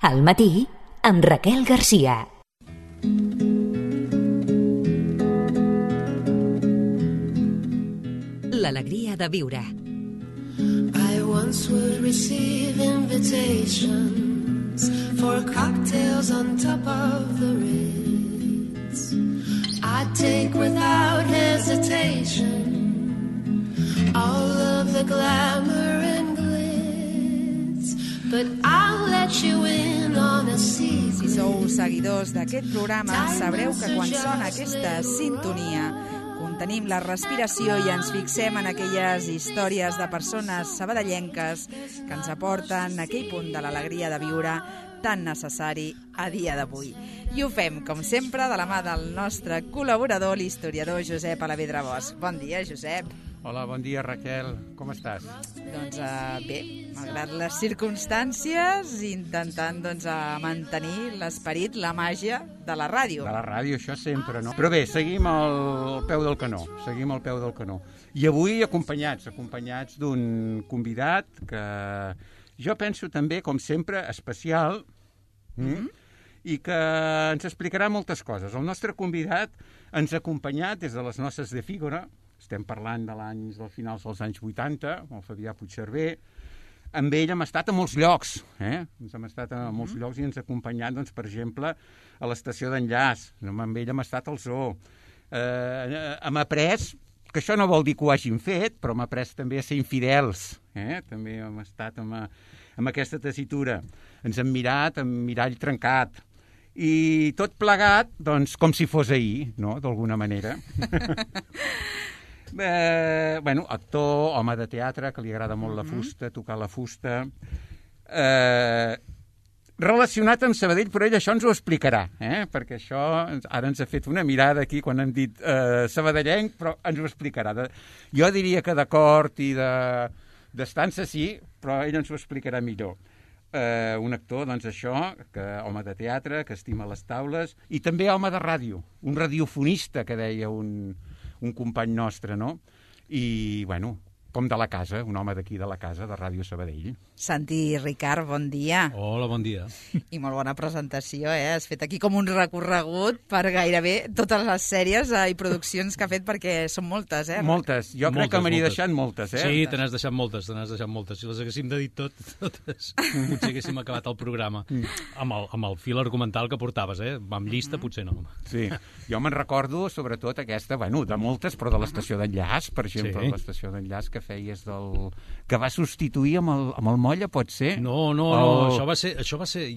Al matí, amb Raquel Garcia. L'alegria de viure. I once would receive invitations for cocktails on top of the Ritz. I'd take without hesitation all of the glamour and glitz, but I'll let you in on a secret. Si sou seguidors d'aquest programa, sabreu que quan sona aquesta sintonia contenim la respiració i ens fixem en aquelles històries de persones sabadellenques que ens aporten aquell punt de l'alegria de viure tan necessari a dia d'avui. I ho fem, com sempre, de la mà del nostre col·laborador, l'historiador Josep Alavedra Bosch. Bon dia, Josep. Hola, bon dia, Raquel. Com estàs? Doncs bé, malgrat les circumstàncies, intentant mantenir l'esperit, la màgia de la ràdio. De la ràdio, això sempre, no? Però bé, seguim al peu del canó. I avui acompanyats d'un convidat que jo penso també, com sempre, especial, i que ens explicarà moltes coses. El nostre convidat ens ha acompanyat des de les Noces de Fígora. Estem parlant dels finals dels anys 80, el Fabià Puigcerver. Amb ell hem estat a molts llocs, Ens hem estat a molts llocs i ens ha acompanyat, doncs, per exemple, a l'estació d'enllaç. Amb ell hem estat al zoo. Hem après, que això no vol dir que ho hagin fet, però hem après també a ser infidels. També hem estat amb aquesta tessitura. Ens hem mirat amb mirall trencat. I tot plegat, doncs, com si fos ahir, no?, d'alguna manera. Actor, home de teatre, que li agrada molt la fusta, tocar la fusta. Relacionat amb Sabadell, però ell això ens ho explicarà, perquè això ara ens ha fet una mirada aquí quan hem dit sabadellenc, però ens ho explicarà. Jo diria que d'acord i d'estança sí, però ell ens ho explicarà millor. Un actor, doncs això, home de teatre, que estima les taules, i també home de ràdio, un radiofonista, que deia un company nostre, no? I, com de la casa, un home d'aquí de la casa, de Ràdio Sabadell. Santi Ricard, bon dia. Hola, bon dia. I molt bona presentació, Has fet aquí com un recorregut per gairebé totes les sèries i produccions que ha fet, perquè són moltes, Moltes. Jo crec que me n'he deixat moltes, Sí, te n'has deixat moltes. Si les haguéssim de dir totes, potser haguéssim acabat el programa. Amb el fil argumental que portaves, Amb llista, potser no. Sí, jo me'n recordo, sobretot aquesta, de moltes, però de l'estació d'enllaç, per exemple, l'estació d'enllaç que feies que va substituir amb el Molla, pot ser? No, això va ser...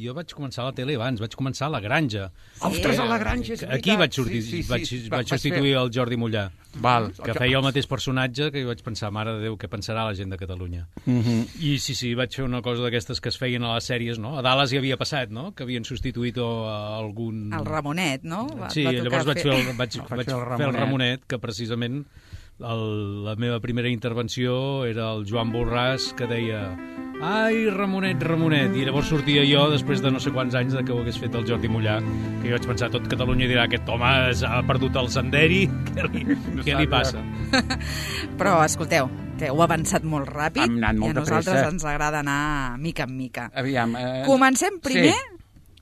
Jo vaig començar a la tele abans, vaig començar a La Granja. Ostres, a La Granja, és veritat. Aquí vaig substituir el Jordi Mollà, que feia el mateix personatge, que jo vaig pensar, mare de Déu, què pensarà la gent de Catalunya? I sí, vaig fer una cosa d'aquestes que es feien a les sèries, no? A Dallas hi havia passat, no?, que havien substituït algun... El Ramonet, no? Sí, llavors vaig fer el Ramonet, que precisament la meva primera intervenció era el Joan Borràs, que deia ai, Ramonet, i llavors sortia jo després de no sé quants anys que ho hagués fet el Jordi Mollà, que jo vaig pensar, tot Catalunya dirà, aquest home ha perdut el senderi, què li passa? Però, escolteu, que heu avançat molt ràpid i a nosaltres ens agrada anar mica en mica. Aviam, comencem primer...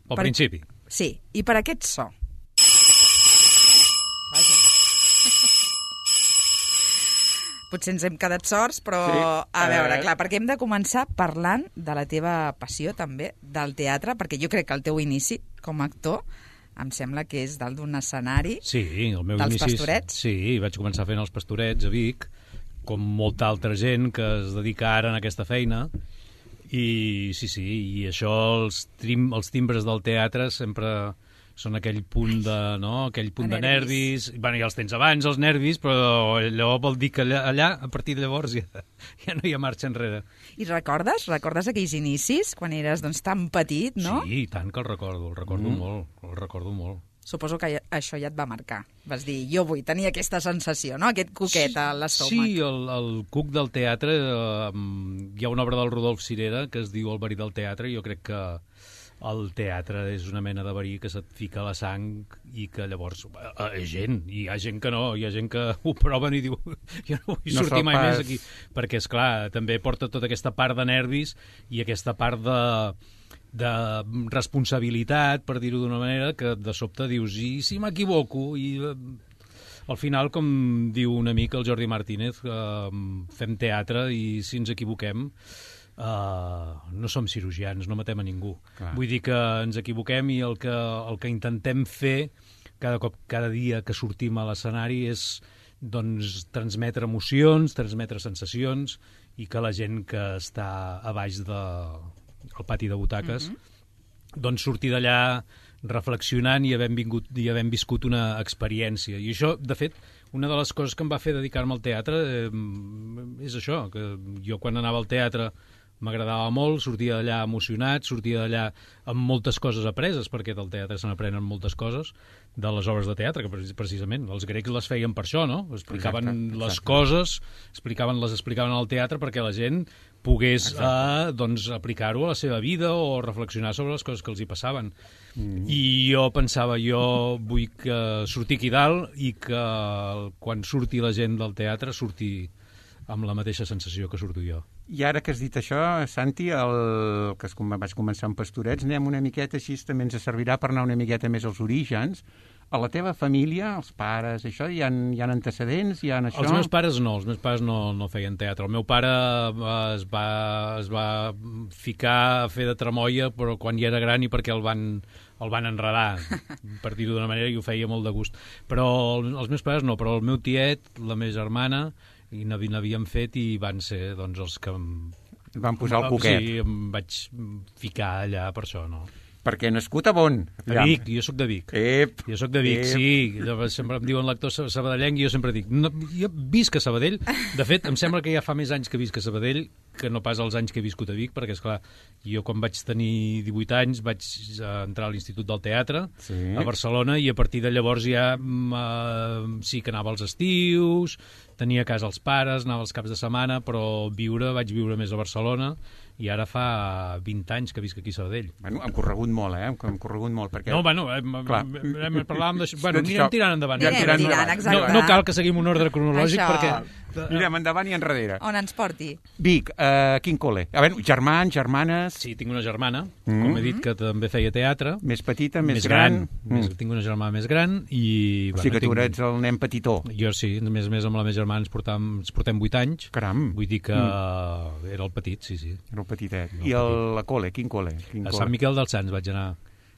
Pel principi. Sí, i per aquest so. Potser ens hem quedat sorts, però a veure, clar, perquè hem de començar parlant de la teva passió també, del teatre, perquè jo crec que el teu inici com a actor em sembla que és dalt d'un escenari dels Pastorets. Sí, vaig començar fent els Pastorets a Vic, com molta altra gent que es dedica ara a aquesta feina, i i això, els timbres del teatre sempre... són aquell punt de nervis. Ja els tens abans, els nervis, però allò vol dir que allà, a partir de llavors, ja no hi ha marxa enrere. I recordes aquells inicis, quan eres tan petit, no? Sí, tant que el recordo molt. Suposo que això ja et va marcar. Vas dir, jo vull tenir aquesta sensació, no?, aquest cuquet a l'estómac. Sí, el cuc del teatre, hi ha una obra del Rodolf Cirera que es diu El verí del teatre, i jo crec que el teatre és una mena de verí que se't fica a la sang i que llavors hi ha gent que no, hi ha gent que ho proven i diu jo no vull sortir mai més aquí, perquè esclar, també porta tota aquesta part de nervis i aquesta part de responsabilitat, per dir-ho d'una manera, que de sobte dius, i si m'equivoco? I al final, com diu un amic, el Jordi Martínez, fem teatre i si ens equivoquem no som cirurgians, no matem a ningú. Clar. Vull dir que ens equivoquem i el que intentem fer cada dia que sortim a l'escenari és doncs, transmetre emocions, transmetre sensacions i que la gent que està a baix del pati de butaques doncs sortir d'allà reflexionant i havent viscut una experiència. I això, de fet, una de les coses que em va fer dedicar-me al teatre és això, que jo quan anava al teatre m'agradava molt, sortia d'allà emocionat, sortia d'allà amb moltes coses apreses, perquè del teatre se n'aprenen moltes coses, de les obres de teatre, que precisament els grecs les feien per això, no? Explicaven les coses, les explicaven al teatre perquè la gent pogués doncs, aplicar-ho a la seva vida o reflexionar sobre les coses que els hi passaven. I jo pensava, jo vull que surti aquí dalt i que quan surti la gent del teatre surti amb la mateixa sensació que surto jo. I ara que has dit això, Santi, que vaig començar amb Pastorets, anem una miqueta així, també ens servirà per anar una miqueta més als orígens. A la teva família, els pares, això, hi ha antecedents? Hi ha això? Els meus pares no feien teatre. El meu pare es va ficar a fer de tramoia, però quan ja era gran i perquè el van enredar, per dir-ho d'una manera, i ho feia molt de gust. Però els meus pares no, però el meu tiet, la meva germana, i n'havíem fet i van ser doncs, els que van posar el poquet. Sí, em vaig ficar allà per això, no? Perquè nascut a on? A Vic, jo sóc de Vic. Jo sóc de Vic, sí. Sempre em diuen l'actor sabadellenc i jo sempre dic, no, jo visc a Sabadell. De fet, em sembla que ja fa més anys que visc a Sabadell que no pas els anys que he viscut a Vic, perquè, esclar, jo quan vaig tenir 18 anys vaig entrar a l'Institut del Teatre a Barcelona i a partir de llavors ja sí que anava als estius, tenia a casa els pares, anava els caps de setmana, però vaig viure més a Barcelona i ara fa 20 anys que visc aquí a Sabadell. Bueno, hem corregut molt, hem corregut molt. Perquè... No, bueno, parlàvem d'això. Bueno, anirem tirant endavant. Exacte. No cal que seguim un ordre cronològic perquè... Anirem endavant i enrere. On ens porti? Vic, quin col·le? A veure, germans, germanes... Sí, tinc una germana, com he dit, que també feia teatre. Més petita, més gran. Tinc una germana més gran i... O sigui que tu eres el nen petitó. Jo sí, més amb la meva germana ens portem 8 anys. Caram. Vull dir que era el petit, sí. Era el petitet. I la col·le, quin col·le? A Sant Miquel dels Sants vaig anar.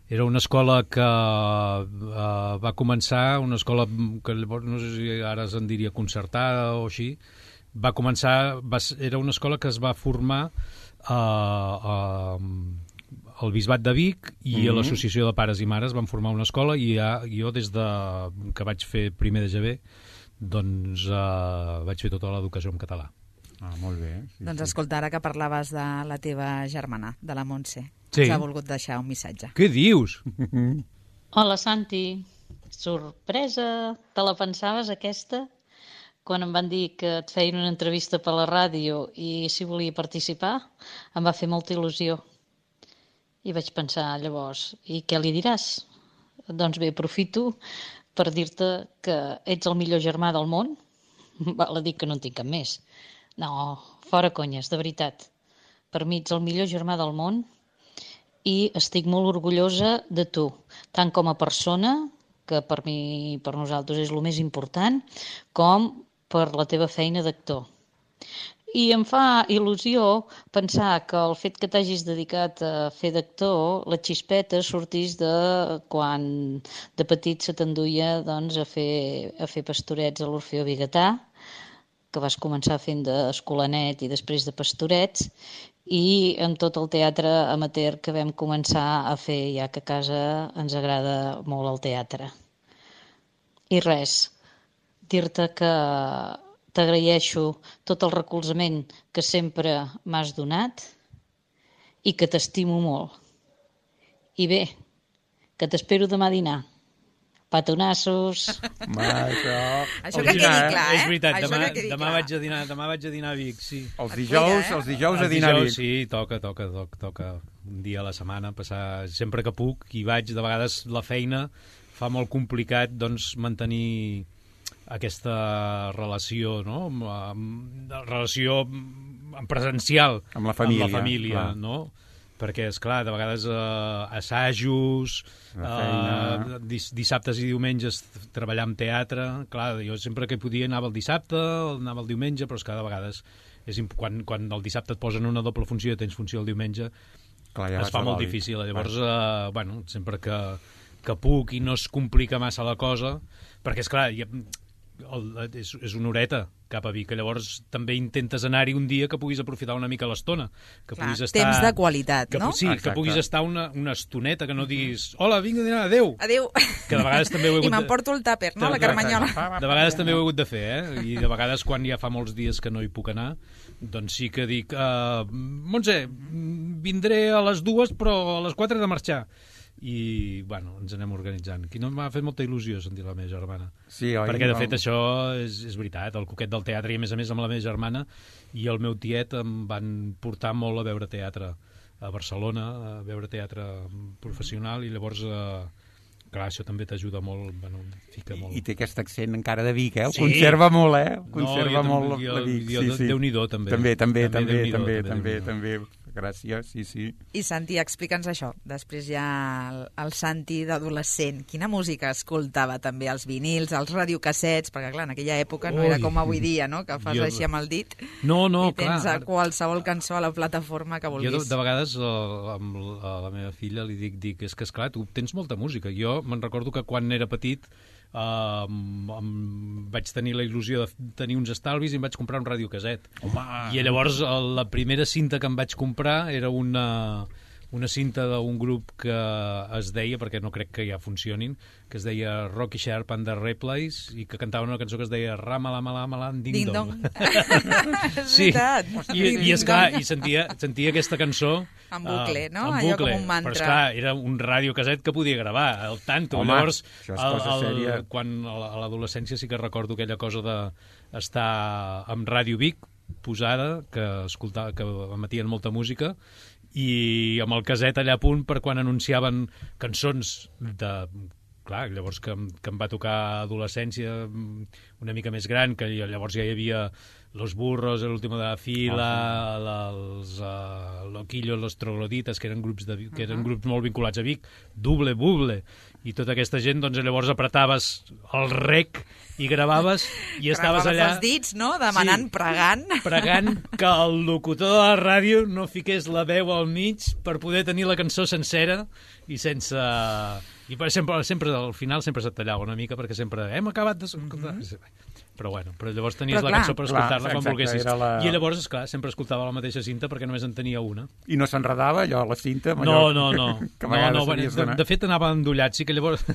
Era una escola que va començar, una escola que no sé si ara se'n diria concertada o així, era una escola que es va formar al Bisbat de Vic i a l'Associació de Pares i Mares van formar una escola i jo des que vaig fer primer de GB doncs vaig fer tota l'educació en català. Ah, molt bé. Sí, doncs escolta, ara que parlaves de la teva germana, de la Montse, ens ha volgut deixar un missatge. Què dius? Hola, Santi. Sorpresa. Te la pensaves, aquesta? Quan em van dir que et feien una entrevista per la ràdio i si volia participar, em va fer molta il·lusió. I vaig pensar, llavors, i què li diràs? Doncs bé, aprofito per dir-te que ets el millor germà del món. Val a dir que no en tinc cap més. No, fora conyes, de veritat. Per mi ets el millor germà del món i estic molt orgullosa de tu, tant com a persona, que per nosaltres és el més important, com per la teva feina d'actor. I em fa il·lusió pensar que el fet que t'hagis dedicat a fer d'actor, la xispeta sortís de quan de petit se t'enduia doncs, a fer pastorets a l'Orfeó Vigatà, que vas començar fent d'escolanet i després de pastorets, i amb tot el teatre amateur que vam començar a fer, ja que a casa ens agrada molt el teatre. I res, dir-te que t'agraeixo tot el recolzament que sempre m'has donat i que t'estimo molt. I bé, que t'espero demà a dinar. Petonassos. Això que quedi clar, És veritat, demà vaig a dinar a Vic, sí. Els dijous a dinar a Vic. Sí, toca un dia a la setmana, passar sempre que puc, i vaig, de vegades la feina fa molt complicat doncs mantenir aquesta relació, no? Relació presencial amb la família, no? perquè, esclar, de vegades assajos, dissabtes i diumenges treballar en teatre, clar, jo sempre que podia anava el dissabte, anava el diumenge, però és que de vegades quan el dissabte et posen una doble funció i tens funció el diumenge, clar, ja es fa molt difícil. Llavors, bueno, sempre que puc i no es complica massa la cosa, perquè, esclar, és una horeta cap a Vic, llavors també intentes anar-hi un dia que puguis aprofitar una mica l'estona. Clar, temps de qualitat, no? Sí, que puguis estar una estoneta, que no diguis hola, vinc a dinar, adéu! Adéu! Que de vegades també ho he hagut I m'emporto el tàper, no?, la carmanyola. De vegades també ho he hagut de fer, I de vegades quan ja fa molts dies que no hi puc anar, doncs sí que dic Montse, vindré a les 2 però a les 4 he de marxar. I, bueno, ens anem organitzant. Aquí no m'ha fet molta il·lusió sentir la meva germana. Sí, oi? Perquè, de fet, això és veritat, el coquet del teatre, i a més amb la meva germana i el meu tiet em van portar molt a veure teatre a Barcelona, a veure teatre professional, i llavors, clar, això també t'ajuda molt, bueno, fica molt. I té aquest accent encara de Vic, Sí. Conserva molt, Conserva molt la Vic. Sí. Déu-n'hi-do, també. També. Gràcies, sí. I Santi, explica'ns això. Després ja el Santi d'adolescent. Quina música escoltava també? Els vinils, els radiocassets, perquè clar, en aquella època no era com avui dia, no?, que fas així amb el dit i tens qualsevol cançó a la plataforma que vulguis. Jo de vegades a la meva filla li dic, és que esclar, tu tens molta música. Jo me'n recordo que quan era petit vaig tenir la il·lusió de tenir uns estalvis i em vaig comprar un radiocasset. I llavors la primera cinta que em vaig comprar era una cinta d'un grup que es deia, perquè no crec que ja funcionin, que es deia Rocky Sharp and the Replays, i que cantaven una cançó que es deia Ramalamalam Ding Dong. Sí, i esclar, i sentia aquesta cançó en bucle, no? En Allò bucle, com un mantra. però esclar, era un radiocasset que podia gravar, el tanto. Home, llavors, això és cosa sèria. quan a l'adolescència sí que recordo aquella cosa d'estar amb Ràdio Vic posada, que emetien molta música, i amb el caset allà a punt per quan anunciaven cançons de... Clar, llavors que em va tocar adolescència una mica més gran, que llavors ja hi havia Los Burros, El Último de la Fila, els Loquillos, Los Trogloditas, que eren grups molt vinculats a Vic, Double Buble, i tota aquesta gent, doncs llavors apretaves el rec i gravaves i estaves allà... els dits, no?, demanant, pregant que el locutor de la ràdio no fiqués la veu al mig per poder tenir la cançó sencera i sense... I sempre al final sempre se't tallava una mica perquè sempre hem acabat d'escoltar... Però bueno, llavors tenies la cançó per escoltar-la quan volguessis. I llavors, esclar, sempre escoltava la mateixa cinta perquè només en tenia una. I no s'enredava allò, la cinta? No. De fet, anava endollat. Sí que llavors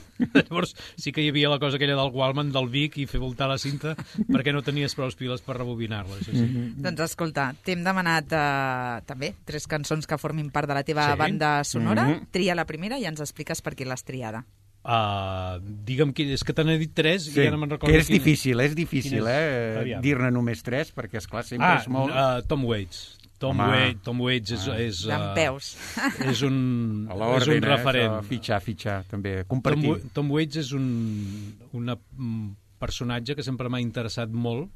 sí que hi havia la cosa aquella del Walkman, del Vic, i fer voltar la cinta perquè no tenies prou piles per rebobinar-la. Sí. Doncs escolta, t'hem demanat també 3 cançons que formin part de la teva banda sonora. Tria la primera i ens expliques per què l'has triada. Digue'm, és que te n'he dit 3 i ja no me'n recordo. Que és difícil, dir-ne només 3, perquè esclar sempre és molt... Tom Waits. Tom Waits és dempeus. És un referent. Fitxar, també, compartir. Tom Waits és un personatge que sempre m'ha interessat molt.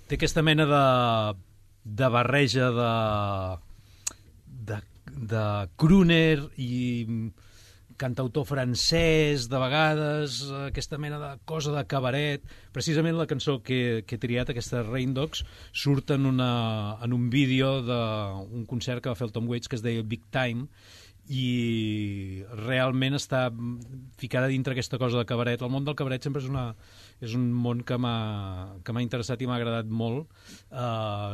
Té aquesta mena de barreja de crooner i cantautor francès, de vegades, aquesta mena de cosa de cabaret. Precisament la cançó que he triat, aquesta Rain Dogs, surt en un vídeo d'un concert que va fer el Tom Waits que es deia Big Time, i realment està ficada dintre aquesta cosa de cabaret. El món del cabaret sempre és un món que m'ha interessat i m'ha agradat molt,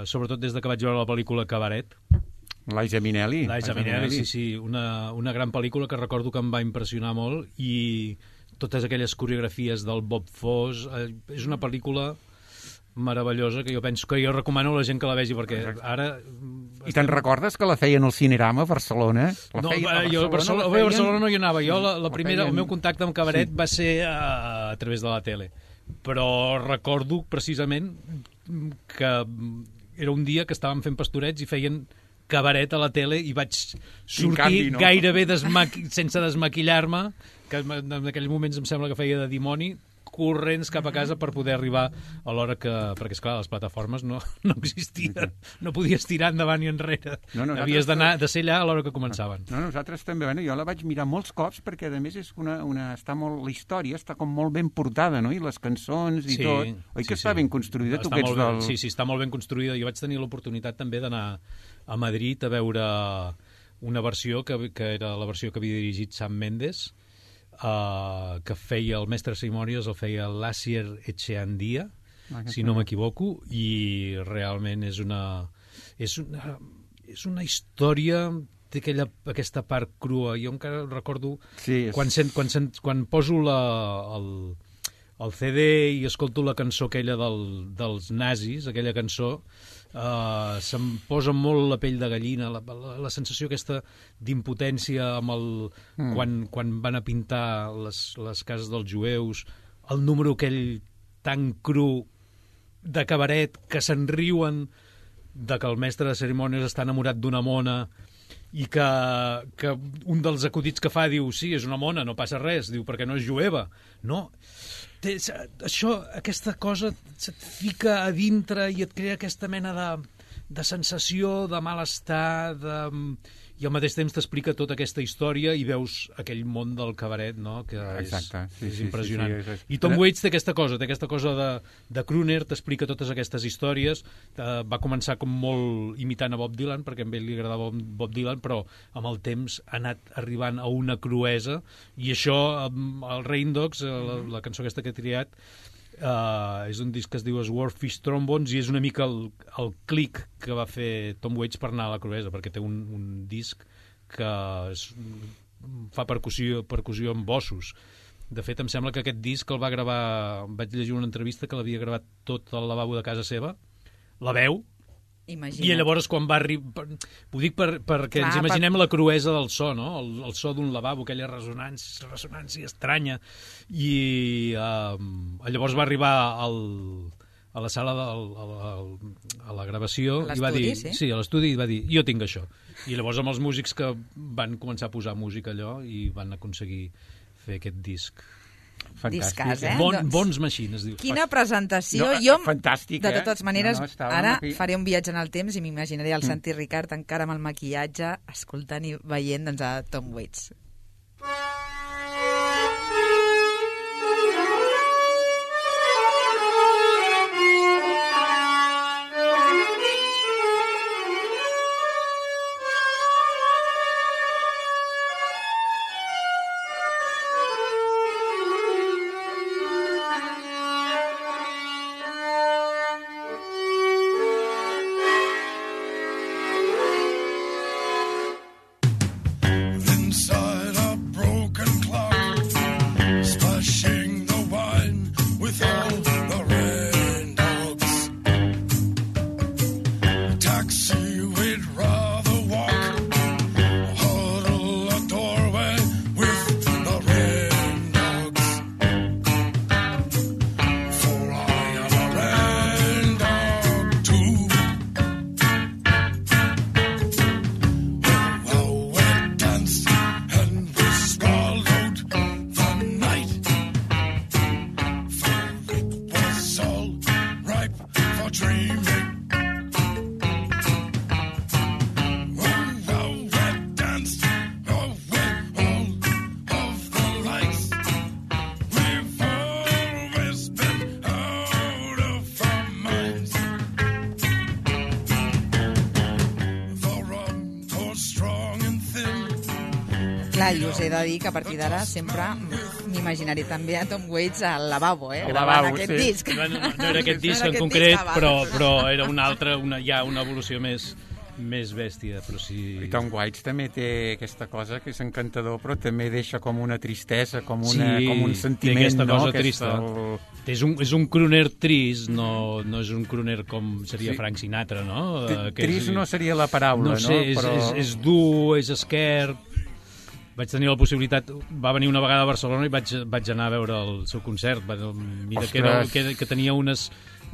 sobretot des que vaig veure la pel·lícula Cabaret. Liza Minnelli, sí. Una gran pel·lícula que recordo que em va impressionar molt, i totes aquelles coreografies del Bob Fosse. És una pel·lícula meravellosa que jo recomano a la gent que la vegi, perquè ara... I te'n recordes que la feien al Cinerama a Barcelona? Jo a Barcelona no hi anava. Jo el meu contacte amb cabaret va ser a través de la tele. Però recordo precisament que era un dia que estàvem fent pastorets i feien cabaret a la tele i vaig sortir gairebé sense desmaquillar-me, que en aquells moments em sembla que feia de dimoni, corrents cap a casa per poder arribar a l'hora que... Perquè, esclar, les plataformes no existien. No podies tirar endavant i enrere. Havies de ser allà a l'hora que començaven. No, nosaltres també. Bueno, jo la vaig mirar molts cops perquè, a més, és està molt... La història està com molt ben portada, no? I les cançons i tot. Oi que està ben construïda? Tu que ets del... Sí, està molt ben construïda. Jo vaig tenir l'oportunitat també d'anar a Madrid a veure una versió que era la versió que havia dirigit Sam Mendes, que feia el mestre de cerimònies, el feia l'Asier Echeandia, si no m'equivoco, i realment és una història, té aquesta part crua. Jo encara recordo quan poso el CD i escolto la cançó aquella dels nazis, aquella cançó, se'm posa molt la pell de gallina, la sensació aquesta d'impotència amb quan van a pintar les cases dels jueus, el número aquell tan cru de cabaret que se'n riuen de que el mestre de cerimònies està enamorat d'una mona i que un dels acudits que fa diu, sí, és una mona, no passa res, diu, perquè no és jueva. No, aquesta cosa se't fica a dintre i et crea aquesta mena de sensació, de malestar, i al mateix temps t'explica tota aquesta història i veus aquell món del cabaret, no? Que és impressionant. I Tom Waits té aquesta cosa de crooner, t'explica totes aquestes històries. Va començar com molt imitant a Bob Dylan, perquè a ell li agradava Bob Dylan, però amb el temps ha anat arribant a una cruesa, i això, el Rain Dogs, la cançó aquesta que he triat, és un disc que es diu Swordfish Trombones, i és una mica el clic que va fer Tom Waits per anar a la cruesa, perquè té un disc que fa percussió amb bossos. De fet, em sembla que aquest disc el va gravar, vaig llegir una entrevista que l'havia gravat tot al lavabo de casa seva, la veu. Imagina't. I llavors quan va arribar... Ho dic perquè ens imaginem la cruesa del so, no? El so d'un lavabo, aquella ressonància estranya. I llavors va arribar a la sala, a la gravació, i va dir... Sí, a l'estudi, i va dir, jo tinc això. I llavors amb els músics que van començar a posar música allò i van aconseguir fer aquest disc. Discàs, Bons Machines, diu. Quina presentació. Fantàstic, de totes maneres, ara faré un viatge en el temps i m'imaginaré el Santi Ricard encara amb el maquillatge, escoltant i veient a Tom Waits. Clar, i us he de dir que a partir d'ara sempre m'imaginaré també a Tom Waits al lavabo, gravant aquest disc. No era aquest disc en concret, però era una altra, ja una evolució més bèstia, però sí... I Tom Waits també té aquesta cosa que és encantador, però també deixa com una tristesa, com un sentiment, aquesta cosa trista. És un crooner trist, no és un crooner com seria Frank Sinatra, no? Trist no seria la paraula, no? No sé, és dur, és esquerp. Vaig tenir la possibilitat, va venir una vegada a Barcelona i vaig anar a veure el seu concert. Mira que tenia unes...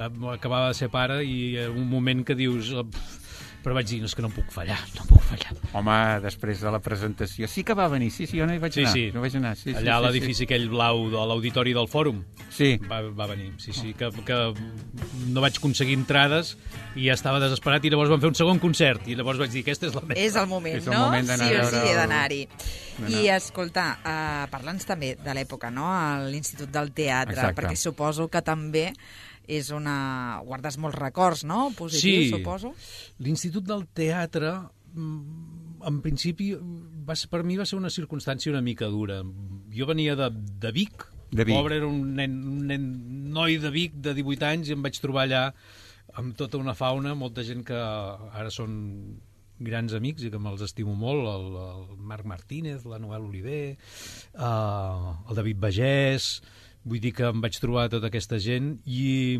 Acabava de ser pare i un moment que dius... però vaig dir, no, és que no puc fallar. Home, després de la presentació... Sí que va venir, sí, jo no hi vaig anar. Sí. No vaig anar, sí. Allà a l'edifici aquell blau de l'auditori del Fòrum. Sí. Va venir, sí, que no vaig aconseguir entrades i ja estava desesperat i llavors vam fer un segon concert i llavors vaig dir, aquesta és la meva. És el moment, És el no? moment d'anar Sí o a sí, veure he d'anar-hi. I, escolta, parla'ns també de l'època, no?, a l'Institut del Teatre, Exacte. perquè suposo que també és una... guardes molts records, no?, positius, suposo. L'Institut del Teatre, en principi, per mi va ser una circumstància una mica dura. Jo venia de Vic, pobre, era un noi de Vic de 18 anys, i em vaig trobar allà amb tota una fauna, molta gent que ara són grans amics i que me'ls estimo molt, el Marc Martínez, la Noel Oliver, el David Bagès. Vull dir que em vaig trobar tota aquesta gent i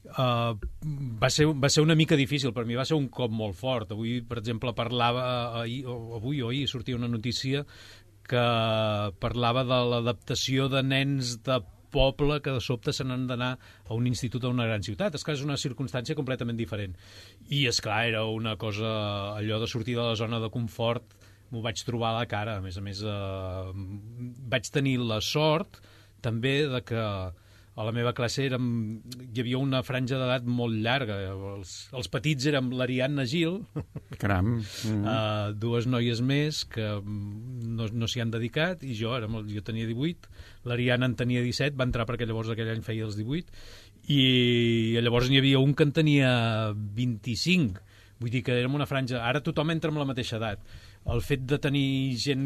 va ser una mica difícil. Per mi va ser un cop molt fort. Avui, per exemple, ahir sortia una notícia que parlava de l'adaptació de nens de poble que de sobte se n'han d'anar a un institut a una gran ciutat. És que és una circumstància completament diferent. I, esclar, era una cosa, allò de sortir de la zona de confort, m'ho vaig trobar a la cara. A més, vaig tenir la sort també de que a la meva classe hi havia una franja d'edat molt llarga. Els petits érem l'Ariadna Gil, Caram. dues noies més que no s'hi han dedicat, i jo tenia 18, l'Ariadna en tenia 17, va entrar perquè llavors aquell any feia els 18, i llavors n'hi havia un que en tenia 25. Vull dir que érem una franja... Ara tothom entra amb la mateixa edat. El fet de tenir gent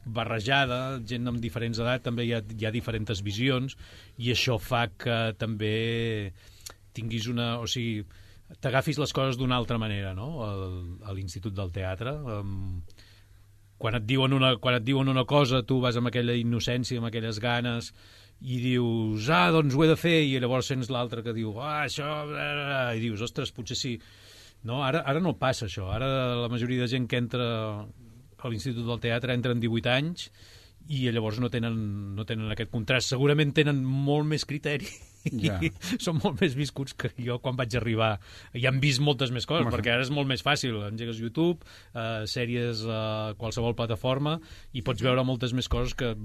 barrejada, gent amb diferents edats, també hi ha diferents visions, i això fa que també tinguis una... O sigui, t'agafis les coses d'una altra manera, no?, a l'Institut del Teatre. Quan et diuen una cosa, tu vas amb aquella innocència, amb aquelles ganes, i dius, doncs ho he de fer, i llavors sents l'altre que diu, això... I dius, ostres, potser sí... No, ara no passa això. Ara la majoria de gent que entra a l'Institut del Teatre entra en 18 anys i llavors no tenen aquest contrast. Segurament tenen molt més criteri i són molt més viscuts que jo quan vaig arribar. I han vist moltes més coses, perquè ara és molt més fàcil. Engegues YouTube, sèries a qualsevol plataforma, i pots veure moltes més coses que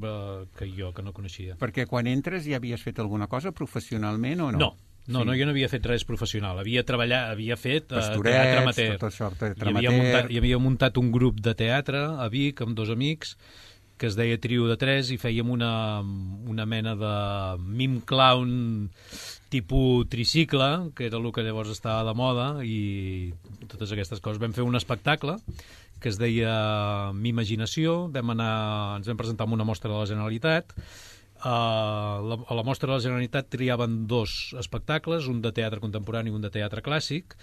jo, que no coneixia. Perquè quan entres ja havies fet alguna cosa professionalment o no? No, jo no havia fet res professional. Havia fet Pastorets, teatre amateur. tot això, teatre amateur. I havia muntat un grup de teatre a Vic amb 2 amics que es deia Trio de 3 i fèiem una mena de mime clown tipus tricicle, que era el que llavors estava de moda, i totes aquestes coses. Vam fer un espectacle que es deia M'Imaginació, ens vam presentar en una mostra de la Generalitat. A la mostra de la Generalitat triaven 2 espectacles, un de teatre contemporani i un de teatre clàssic,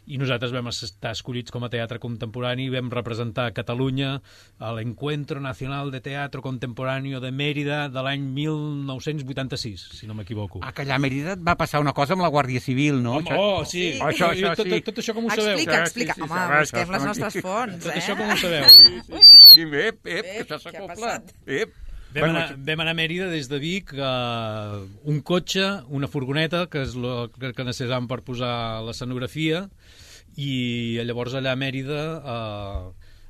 i nosaltres vam estar escollits com a teatre contemporani i vam representar Catalunya a l'Encuentro Nacional de Teatro Contemporáneo de Mérida de l'any 1986, si no m'equivoco. Que allà a Mérida va passar una cosa amb la Guàrdia Civil, no? Sí. Això sí. Tot això com ho sabeu? Explica. Home, busquem les nostres fonts, Tot això com ho sabeu? Sí, que això s'acopla. Vam anar a Mèrida des de Vic, un cotxe, una furgoneta, que és el que necessitàvem per posar l'escenografia, i llavors allà a Mèrida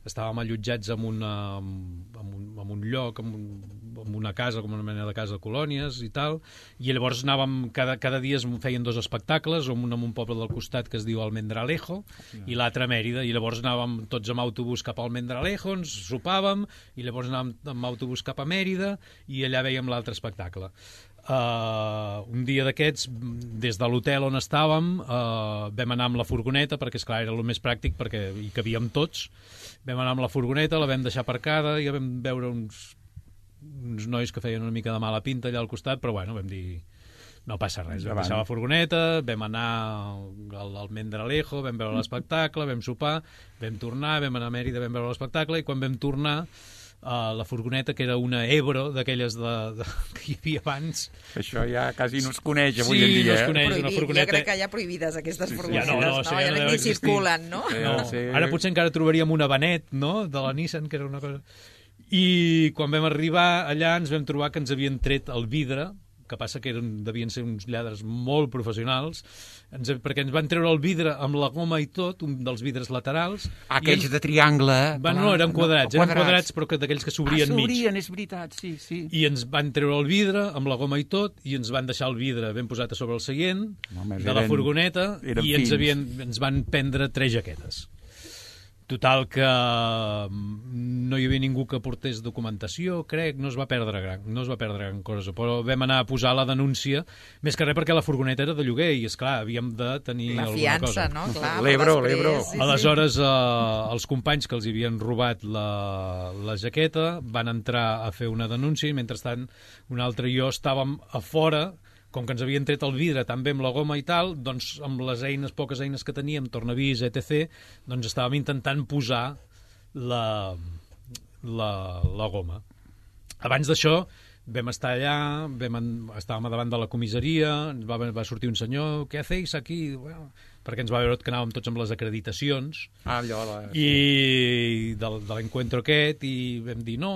estàvem allotjats en un lloc, en una casa, com una mena de casa de colònies i tal, i llavors anàvem, cada dia es feien 2 espectacles, un en un poble del costat que es diu Almendralejo i l'altre a Mèrida, i llavors anàvem tots amb autobús cap al Almendralejo, ens sopàvem, i llavors anàvem amb autobús cap a Mèrida, i allà vèiem l'altre espectacle. Un dia d'aquests, des de l'hotel on estàvem, vam anar amb la furgoneta, perquè esclar era el més pràctic, perquè hi cabíem tots. Vam anar amb la furgoneta, la vam deixar aparcada, i vam veure uns nois que feien una mica de mala pinta allà al costat, però bueno, vam dir, no passa res. Vam deixar la furgoneta, vam anar al Almendralejo, vam veure l'espectacle, vam sopar, vam tornar, vam anar a Mèrida, vam veure l'espectacle, i quan vam tornar, la furgoneta, que era una Ebro d'aquelles que hi havia abans. Això ja quasi no es coneix avui en dia. Sí, no es coneix, una furgoneta. Jo crec que hi ha prohibides aquestes furgonetes, ja no ni circulen, no? Ara potser encara trobaríem una Benet, no?, de la Nissan, que era una cosa... I quan vam arribar allà ens vam trobar que ens havien tret el vidre que passa que devien ser uns lladres molt professionals, perquè ens van treure el vidre amb la goma i tot, un dels vidres laterals. Aquells de triangle. No, eren quadrats, però d'aquells que s'obrien mig. S'obrien, és veritat, sí. I ens van treure el vidre amb la goma i tot, i ens van deixar el vidre ben posat a sobre el seient de la furgoneta, i ens van prendre 3 jaquetes. Total que no hi havia ningú que portés documentació, crec, no es va perdre gran cosa, però vam anar a posar la denúncia, més que res perquè la furgoneta era de lloguer i, esclar, havíem de tenir alguna cosa. La fiança, no? Clar, L'Ebro. Sí. Aleshores, els companys que els havien robat la jaqueta van entrar a fer una denúncia i, mentrestant, un altre i jo estàvem a fora. Com que ens havien tret el vidre tan bé amb la goma i tal, doncs amb les poques eines que teníem, tornavís, etc., doncs estàvem intentant posar la goma. Abans d'això vam estar allà, estàvem davant de la comissaria, va sortir un senyor, què hacéis aquí? Bueno, perquè ens va veure que anàvem tots amb les acreditacions, i de l'encuentro aquest, i vam dir, no,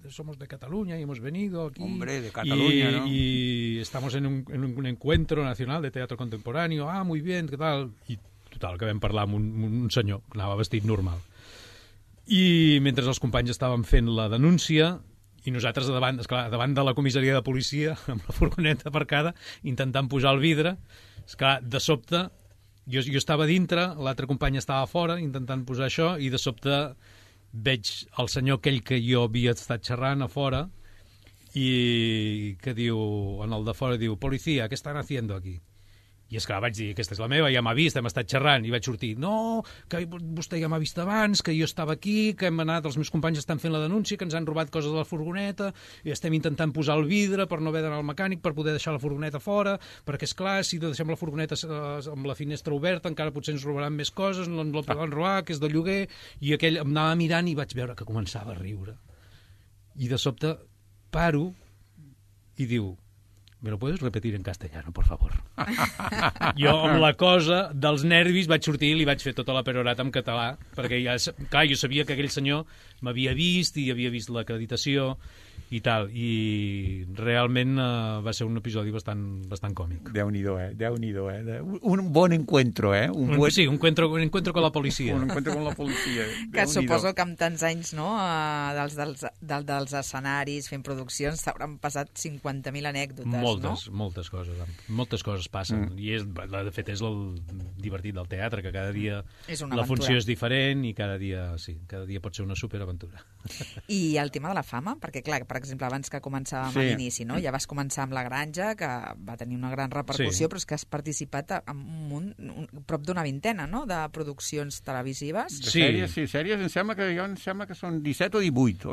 somos de Cataluña y hemos venido aquí. Hombre, de Cataluña, ¿no? Y estamos en un encuentro nacional de teatro contemporáneo. Ah, muy bien, ¿qué tal? I total, que vam parlar amb un senyor que anava vestit normal. I mentre els companys estaven fent la denúncia, i nosaltres davant de la comissaria de policia, amb la furgoneta aparcada, intentant posar el vidre, esclar, de sobte, jo estava dintre, l'altre company estava fora, intentant posar això, i de sobte veig el senyor aquell que jo havia estat xerrant a fora, i que diu, en el de fora, diu, policía, ¿qué están haciendo aquí? I és clar, vaig dir, aquesta és la meva, ja m'ha vist, hem estat xerrant, i vaig sortir, no, que vostè ja m'ha vist abans, que jo estava aquí, que hem anat, els meus companys estan fent la denúncia, que ens han robat coses de la furgoneta, i estem intentant posar el vidre per no haver d'anar al mecànic, per poder deixar la furgoneta fora, perquè, és clar, si deixem la furgoneta amb la finestra oberta, encara potser ens robaran més coses, no ens la poden robar, que és de lloguer, i aquell em anava mirant i vaig veure que començava a riure. I de sobte paro i diu, ¿me lo puedes repetir en castellano, por favor? Jo, amb la cosa dels nervis, vaig sortir i li vaig fer tota la perorata en català, perquè ja, clar, jo sabia que aquell senyor m'havia vist i havia vist l'acreditació i tal, i realment va ser un episodi bastant còmic. Déu-n'hi-do, Déu-n'hi-do, Un bon encuentro, Sí, un encuentro con la policia. Un encuentro con la policia. Que suposo que amb tants anys, no?, dels escenaris, fent produccions, t'hauran passat 50.000 anècdotes, Moltes coses passen. I de fet és el divertit del teatre, que cada dia la funció és diferent i cada dia pot ser una superaventura. I el tema de la fama, perquè clar, per exemple, abans que començàvem a l'inici, no? Ja vas començar amb La Granja, que va tenir una gran repercussió, però és que has participat en prop d'una vintena, no?, de produccions televisives. Sèries, em sembla que són 17 o 18,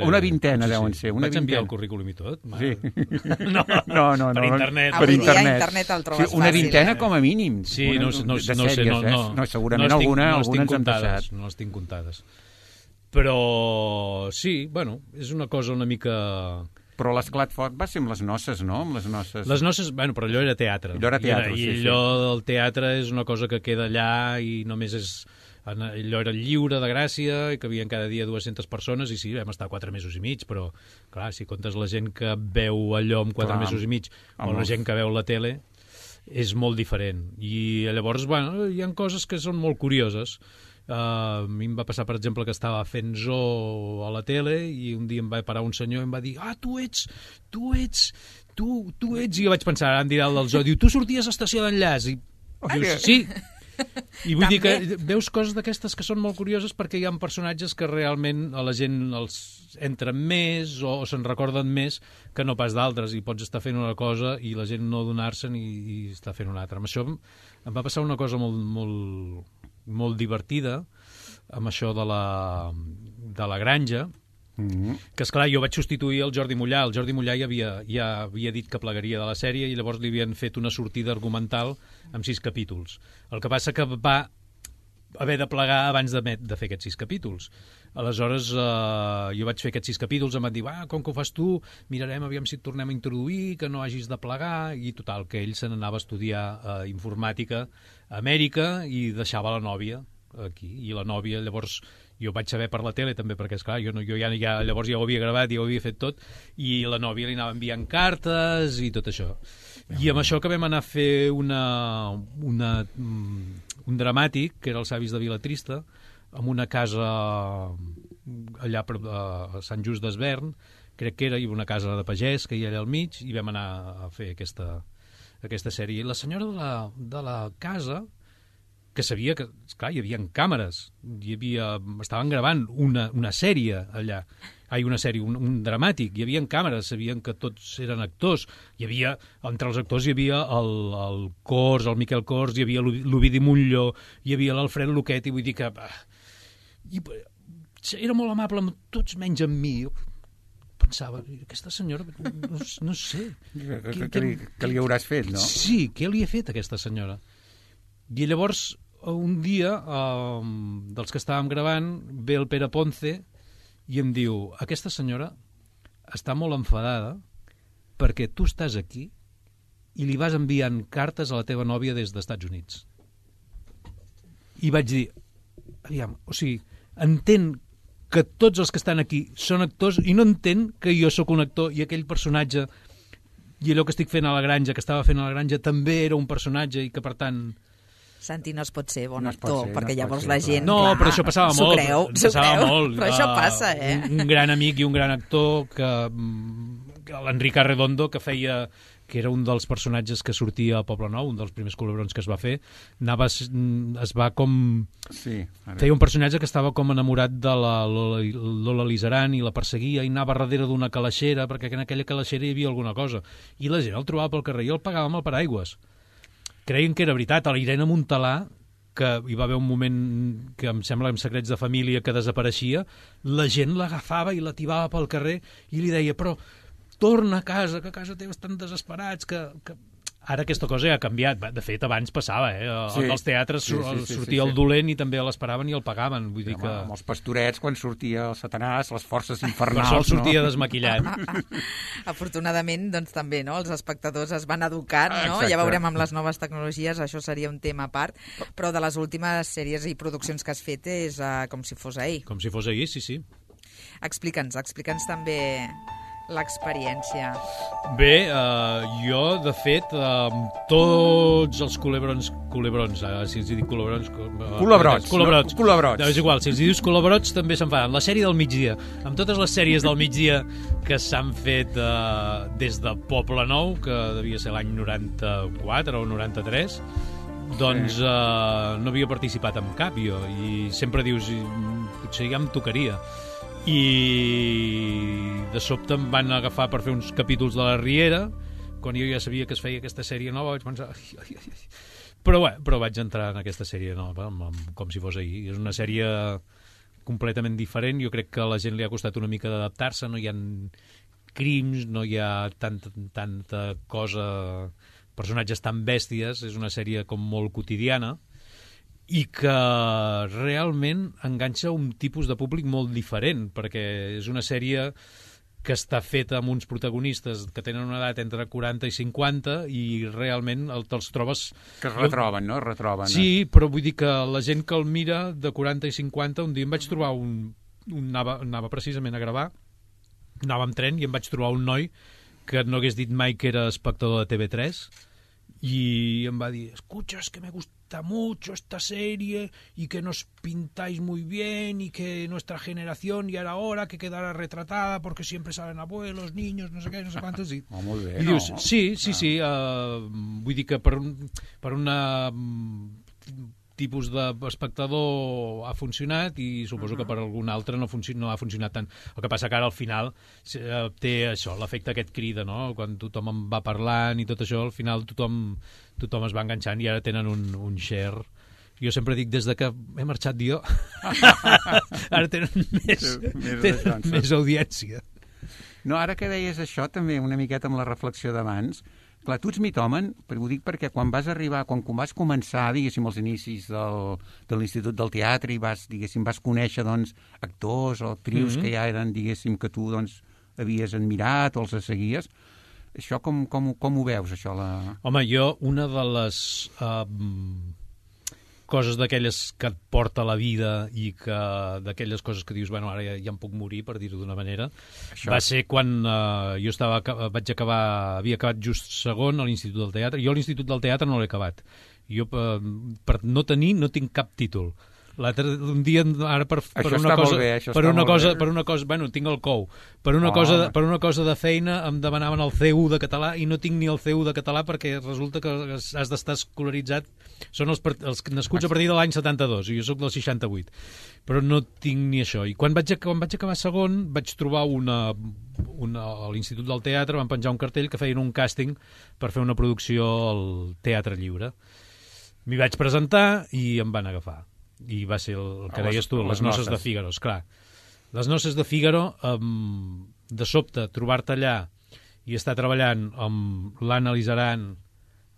una vintena deuen ser. Vaig enviar el currículum i tot? Sí. No, per internet. Avui dia internet el trobes fàcil. Una vintena com a mínim. Sí, no sé. Segurament algunes ens han passat. No les tinc comptades. Però sí, bueno, és una cosa una mica... Però l'Esclat Fort va ser amb les noces, no? Amb les noces. Les noces, bueno, però allò era teatre. I allò del teatre és una cosa que queda allà i només és... Allò era lliure de Gràcia i que havien cada dia 200 persones i sí, vam estar 4 mesos i mig, però clar, si comptes la gent que veu allò en 4 mesos i mig o la gent que veu la tele, és molt diferent. I llavors, bueno, hi ha coses que són molt curioses. A mi em va passar, per exemple, que estava fent zoo a la tele i un dia em va parar un senyor i em va dir, tu ets, i jo vaig pensar, ara em dirà el del zoo, diu, tu sorties a Estació d'Enllaç, i dius, sí. I vull dir que veus coses d'aquestes que són molt curioses perquè hi ha personatges que realment a la gent els entren més o se'n recorden més que no pas d'altres, i pots estar fent una cosa i la gent no adonar-se'n i estar fent una altra. Amb això em va passar una cosa molt divertida amb això de la Granja, que esclar, jo vaig substituir el Jordi Mollà. El Jordi Mollà ja havia dit que plegaria de la sèrie i llavors li havien fet una sortida argumental amb 6 capítols. El que passa que va haver de plegar abans de fer aquests 6 capítols. Aleshores, jo vaig fer aquests 6 capítols, em van dir, com que ho fas tu, mirarem aviam si et tornem a introduir, que no hagis de plegar, i total, que ell se n'anava a estudiar informàtica a Amèrica i deixava la nòvia aquí, i la nòvia llavors Jo ho vaig saber per la tele també, perquè, esclar, jo ja llavors ja ho havia gravat, ja ho havia fet tot, i la nòvia li anava enviant cartes i tot això. I amb això que vam anar a fer un dramàtic, que era els Avis de Vilatrista, en una casa allà a Sant Just d'Esvern, crec que era, hi havia una casa de pagès que hi era al mig, i vam anar a fer aquesta sèrie. I la senyora de la casa, que sabia que, esclar, hi havia càmeres, estaven gravant una sèrie allà, un dramàtic, hi havia càmeres, sabien que tots eren actors, entre els actors hi havia el Cors, el Miquel Cors, hi havia l'Ovidi Montlló, hi havia l'Alfred Luquet, i vull dir que era molt amable amb tots menys amb mi. Pensava, aquesta senyora, no sé. Que li hauràs fet, no? Sí, què li he fet a aquesta senyora? I llavors, un dia, dels que estàvem gravant, ve el Pere Ponce i em diu, aquesta senyora està molt enfadada perquè tu estàs aquí i li vas enviant cartes a la teva nòvia des dels Estats Units. I vaig dir, aviam, o sigui, entén que tots els que estan aquí són actors i no entén que jo sóc un actor i aquell personatge i allò que estic fent a la granja, que estava fent a la granja, també era un personatge i que, per tant... Santi, no es pot ser bon actor, perquè llavors la gent... No, però això passava molt. S'ho creu, però això passa, Un gran amic i un gran actor, l'Enric Arredondo, que era un dels personatges que sortia a Poble Nou, un dels primers culebrons que es va fer, feia un personatge que estava com enamorat de la Lola Lizaran i la perseguia i anava darrere d'una calaixera, perquè en aquella calaixera hi havia alguna cosa. I la gent el trobava pel carrer i el pagava amb el paraigües. Creien que era veritat. A la Irene Montalà, que hi va haver un moment que em sembla en Secrets de Família que desapareixia, la gent l'agafava i la tibava pel carrer i li deia, però torna a casa, que a casa teva estan desesperats, que... Ara aquesta cosa ja ha canviat. De fet, abans passava, als teatres sortia el dolent i també l'esperaven i el pagaven. Vull dir que... Amb els pastorets, quan sortia el Satanàs, les forces infernals... Per sort sortia desmaquillat. Afortunadament, doncs també, no? Els espectadors es van educant, no? Exacte. Ja veurem amb les noves tecnologies, això seria un tema a part, però de les últimes sèries i produccions que has fet és com si fos ahir. Com si fos ahir, sí. Explica'ns també l'experiència. Bé, jo, de fet, tots els culebrons, si els dic culebrons... Culebrots. És igual, si els dius culebrots també se'n fan. La sèrie del migdia, amb totes les sèries del migdia que s'han fet des de Poble Nou, que devia ser l'any 94 o 93, doncs no havia participat en cap jo, i sempre dius, potser ja em tocaria. I de sobte em van agafar per fer uns capítols de la Riera, quan jo ja sabia que es feia aquesta sèrie nova, vaig pensar... Però vaig entrar en aquesta sèrie nova, com si fos ahir. És una sèrie completament diferent, jo crec que a la gent li ha costat una mica d'adaptar-se, no hi ha crims, no hi ha tanta cosa, personatges tan bèsties, és una sèrie com molt quotidiana, i que realment enganxa un tipus de públic molt diferent, perquè és una sèrie que està feta amb uns protagonistes que tenen una edat entre 40 i 50 i realment te'ls trobes... Que es retroben, no? Sí, però vull dir que la gent que el mira de 40 i 50, un dia em vaig trobar anava precisament a gravar, anava amb tren i em vaig trobar un noi que no hagués dit mai que era espectador de TV3 y em va dir, escucha, es que me gusta mucho esta serie y que nos pintáis muy bien y que nuestra generación ya era hora que quedara retratada porque siempre salen abuelos, niños, no sé què, no sé quantos. I molt bé, i dius, no? Sí, vull dir que per una tipus d'espectador ha funcionat i suposo que per algun altre no ha funcionat tant. El que passa que ara al final té això, l'efecte aquest crida, no? Quan tothom en va parlant i tot això, al final tothom es va enganxant i ara tenen un share. Jo sempre dic, des de que he marxat jo, ara tenen més audiència. No, ara que deies això, també una miqueta amb la reflexió d'abans, clar, tu ets mitòman, ho dic perquè quan vas començar, diguéssim, als inicis de l'Institut del Teatre i vas conèixer, doncs, actors o actrius que ja eren, diguéssim, que tu, doncs, havies admirat o els seguies, això com ho veus, això? Home, jo, una de les coses d'aquelles que et porta la vida i que d'aquelles coses que dius, bueno, ara ja em puc morir, per dir-ho d'una manera, va ser quan jo havia acabat just segon a l'Institut del Teatre. Jo a l'Institut del Teatre no l'he acabat. Jo, per no tinc cap títol. Un dia, ara per una cosa, bueno, tinc el cou. Per una cosa de feina em demanaven el C1 de català i no tinc ni el C1 de català perquè resulta que has d'estar escolaritzat. Són els nascuts a partir de l'any 72 i jo sóc del 68. Però no tinc ni això. I quan vaig acabar segon vaig trobar a l'Institut del Teatre, van penjar un cartell que feien un càsting per fer una producció al Teatre Lliure. M'hi vaig presentar i em van agafar. I va ser el que deies tu, les noces de Fígaro, esclar. Les noces de Fígaro, de sobte, trobar-te allà i estar treballant amb l'Anna Lizaran,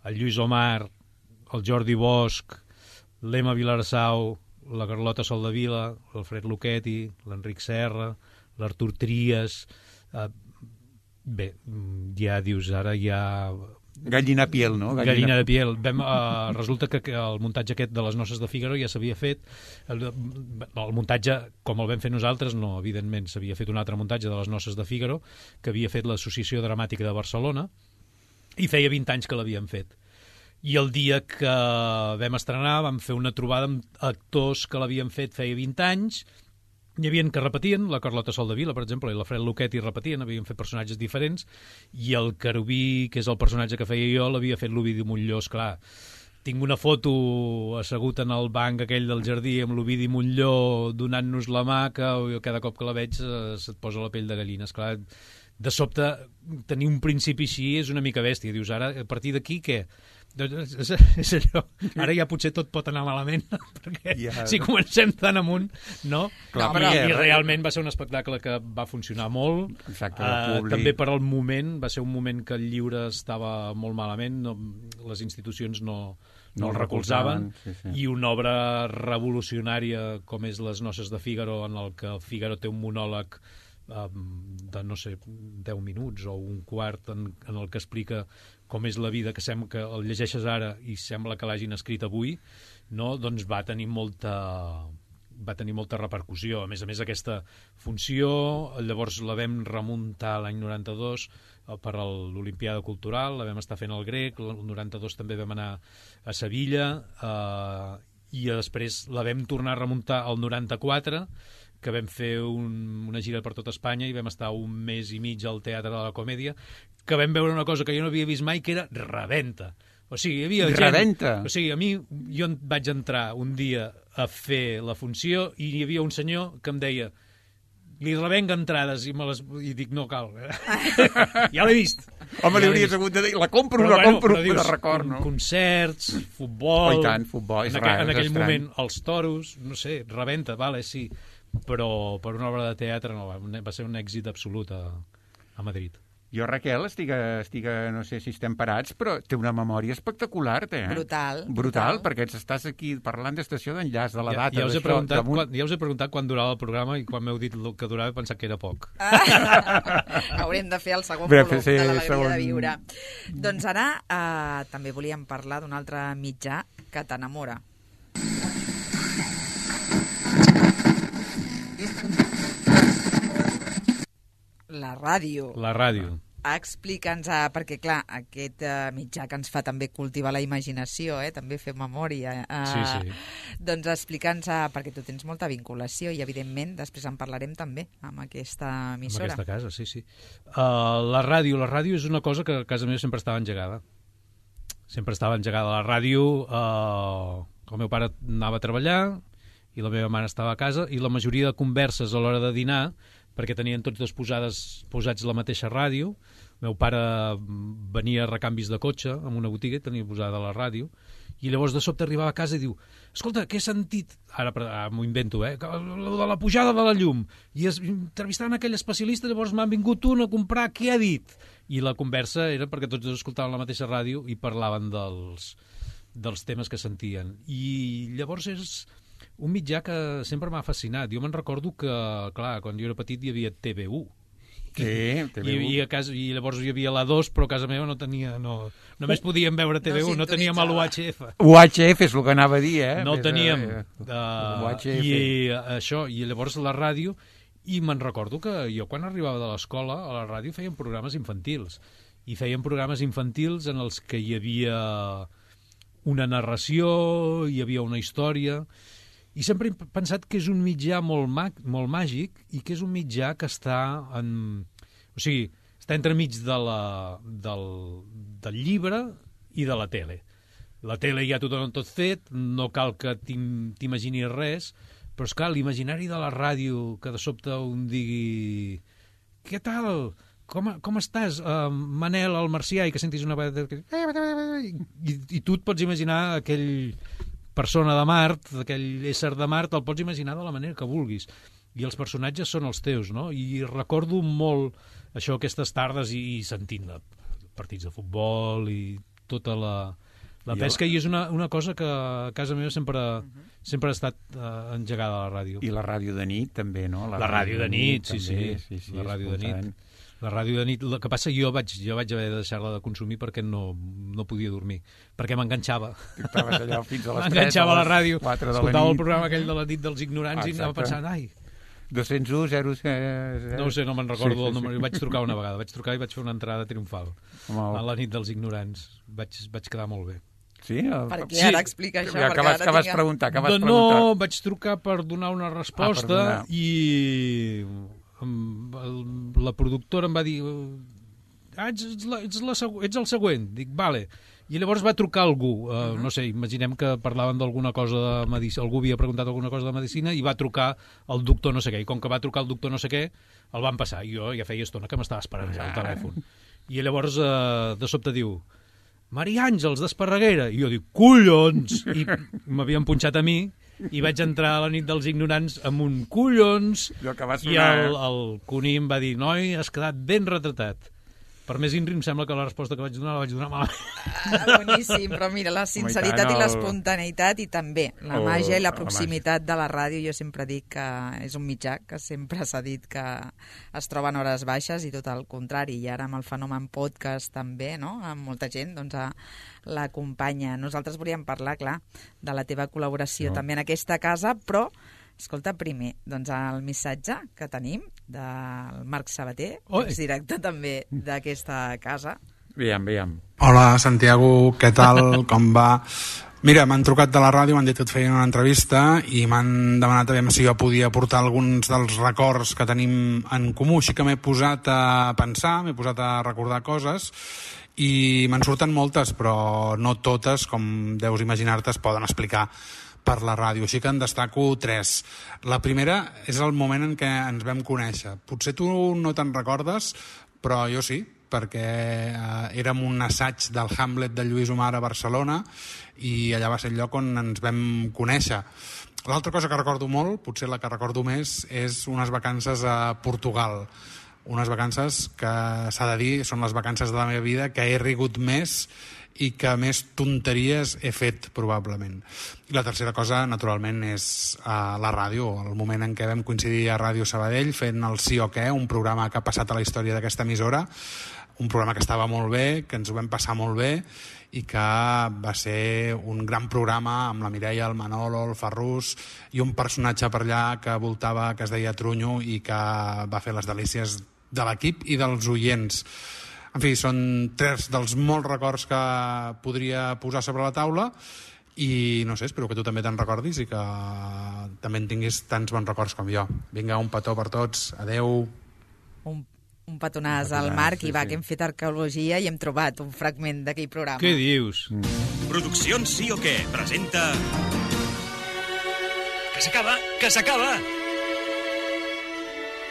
el Lluís Omar, el Jordi Bosch, l'Emma Vilarsau, la Carlota Soldevila, l'Alfred Luchetti, l'Enric Serra, l'Artur Trias... Bé, ja dius, ara ja... Gallina piel, no? Gallina de piel. Resulta que el muntatge aquest de les noces de Fígaro ja s'havia fet. El muntatge, com el vam fer nosaltres, no, evidentment, s'havia fet un altre muntatge de les noces de Fígaro que havia fet l'Associació Dramàtica de Barcelona i feia 20 anys que l'havien fet. I el dia que vam estrenar vam fer una trobada amb actors que l'havien fet feia 20 anys. Hi havia que repetien, la Carlota Soldevila, per exemple, i l'Alfred Luchetti repetien, havien fet personatges diferents, i el Querubí, que és el personatge que feia jo, l'havia fet l'Ovidi Montllor, esclar. Tinc una foto assegut en el banc aquell del jardí amb l'Ovidi Montllor donant-nos la mà, que jo cada cop que la veig se't posa la pell de gallina, esclar. De sobte, tenir un principi així és una mica bèstia. Dius, ara, a partir d'aquí, què? És allò. Ara ja potser tot pot anar malament, perquè si comencem tan amunt, no? I realment va ser un espectacle que va funcionar molt. Exacte, també per al moment, va ser un moment que el lliure estava molt malament, les institucions no el recolzaven, i una obra revolucionària com és Les noces de Fígaro, en el que Fígaro té un monòleg de, no sé, 10 minuts o un quart en el que explica com és la vida, que sembla que el llegeixes ara i sembla que l'hagin escrit avui, no? Doncs va tenir molta repercussió. A més, aquesta funció, llavors la vam remuntar l'any 92 per a l'Olimpiada Cultural, la vam estar fent al Grec, el 92 també vam anar a Sevilla, i després la vam tornar a remuntar al 94, que vam fer una gira per tot Espanya i vam estar un mes i mig al Teatre de la Comèdia, que vam veure una cosa que jo no havia vist mai, que era rebenta. O sigui, hi havia gent... Rebenta? O sigui, jo vaig entrar un dia a fer la funció i hi havia un senyor que em deia li revenc entrades i dic, no cal. Ja l'he vist. Home, li hauries hagut de dir, la compro, de record, no? Concerts, futbol... Oh, i tant, futbol, és rar, en aquell moment, els toros, no sé, rebenta, vale, sí, però per una obra de teatre no, va ser un èxit absolut a Madrid. Jo, Raquel, estic, no sé si estem parats, però té una memòria espectacular, té, eh? Brutal, perquè estàs aquí parlant d'estació d'enllaç, de la data. Ja us he preguntat quan durava el programa i quan m'heu dit el que durava he pensat que era poc. Haurem de fer el segon volum de l'Alegria de Viure. Doncs ara també volíem parlar d'un altre mitjà que t'enamora. La ràdio. La ràdio. Explica'ns, perquè clar, aquest mitjà que ens fa també cultivar la imaginació, també fer memòria. Sí. Doncs explica'ns, perquè tu tens molta vinculació i evidentment després en parlarem també amb aquesta emissora. Amb aquesta casa, sí. La ràdio és una cosa que a casa meva sempre estava engegada. Sempre estava engegada la ràdio. El meu pare anava a treballar i la meva mare estava a casa i la majoria de converses a l'hora de dinar, perquè tenien tots dos posats la mateixa ràdio. El meu pare venia a recanvis de cotxe amb una botiga i tenia posada la ràdio, i llavors de sobte arribava a casa i diu, escolta, què he sentit? Ara m'ho invento, de la pujada de la llum. I entrevistant aquell especialista, llavors m'han vingut un a comprar, què ha dit? I la conversa era perquè tots dos escoltaven la mateixa ràdio i parlaven dels temes que sentien. I llavors és un mitjà que sempre m'ha fascinat. Jo me'n recordo que, clar, quan jo era petit hi havia TV1 Sí, TV1. I llavors hi havia la 2, però a casa meva no tenia... Només podíem veure TV1, no teníem l'UHF. UHF és el que anava a dir, No el teníem. UHF. I això, i llavors la ràdio... I me'n recordo que jo quan arribava de l'escola a la ràdio feien programes infantils. I feien programes infantils en els que hi havia una narració, hi havia una història... I sempre he pensat que és un mitjà molt màgic i que és un mitjà que està està entremig del llibre i de la tele. La tele ja tot fet, no cal que t'imaginis res, però és clar, l'imaginari de la ràdio, que de sobte un digui què tal? Com estàs, Manel, el marcià, i que sentis una vegada... I tu et pots imaginar aquell... persona de Mart, aquell ésser de Mart, el pots imaginar de la manera que vulguis. I els personatges són els teus, no? I recordo molt això, aquestes tardes, i sentint partits de futbol i tota la pesca, i és una cosa que a casa meva sempre ha estat engegada a la ràdio. I la ràdio de nit, també, no? La ràdio de nit, sí. La ràdio de nit. La ràdio de nit, el que passa, jo vaig haver de deixar-la de consumir perquè no podia dormir, perquè m'enganxava. Estaves allà fins a les 3, m'enganxava a la ràdio, 4 de la escoltava nit. el programa aquell de la nit dels ignorants. Exacte. I anava pensant, 201 0... No ho sé, no me'n recordo el número. Vaig trucar una vegada, i vaig fer una entrada triomfal a la nit dels ignorants. Vaig quedar molt bé. Sí? Per què ara explica això? Què vas preguntar? No, vaig trucar per donar una resposta i... la productora em va dir ets el següent. Dic, vale. I llavors va trucar algú, no sé, imaginem que parlaven d'alguna cosa de medicina, algú havia preguntat alguna cosa de medicina i va trucar el doctor no sé què, i com que va trucar el doctor no sé què, el van passar, i jo ja feia estona que m'estava esperant ja al telèfon. I llavors de sobte diu, Maria Àngels d'Esparreguera, i jo dic, collons! I m'havien punxat a mi, i vaig entrar a la nit dels ignorants amb un collons, i el Cuní em va dir, noi, has quedat ben retratat. Per més INRI em sembla que la resposta que vaig donar la vaig donar malament. Boníssim, però mira, la sinceritat i l'espontaneïtat i també la màgia i la proximitat de la ràdio, jo sempre dic que és un mitjà que sempre s'ha dit que es troba en hores baixes i tot el contrari, i ara amb el fenomen podcast també, no? Amb molta gent doncs l'acompanya. Nosaltres volíem parlar, clar, de la teva col·laboració també en aquesta casa, però escolta, primer, doncs el missatge que tenim del Marc Sabater, exdirector també d'aquesta casa. Veiem. Hola, Santiago, què tal? Com va? Mira, m'han trucat de la ràdio, m'han dit que et feien una entrevista i m'han demanat a veure si jo podia portar alguns dels records que tenim en comú, així que m'he posat a pensar, m'he posat a recordar coses i me'n surten moltes, però no totes, com deus imaginar-te, es poden explicar per la ràdio, així que en destaco 3. La primera és el moment en què ens vam conèixer. Potser tu no te'n recordes, però jo sí, perquè érem un assaig del Hamlet de Lluís Omar a Barcelona i allà va ser el lloc on ens vam conèixer. L'altra cosa que recordo molt, potser la que recordo més, és unes vacances a Portugal. Unes vacances que, s'ha de dir, són les vacances de la meva vida que he rigut més i que més tonteries he fet, probablement. I la tercera cosa, naturalment, és la ràdio, el moment en què vam coincidir a Ràdio Sabadell fent el Sí o Què, un programa que ha passat a la història d'aquesta emissora, un programa que estava molt bé, que ens ho vam passar molt bé i que va ser un gran programa amb la Mireia, el Manolo, el Ferrús i un personatge per allà que voltava, que es deia Trunyo i que va fer les delícies de l'equip i dels oients. En fi, són 3 dels molts records que podria posar sobre la taula i no sé, espero que tu també te'n recordis i que també en tinguis tants bons records com jo. Vinga, un petó per tots. Adeu. Un petonàs al Marc, sí, i va, que hem fet arqueologia i hem trobat un fragment d'aquell programa. Què dius? Produccions Sí o Què presenta... Que s'acaba!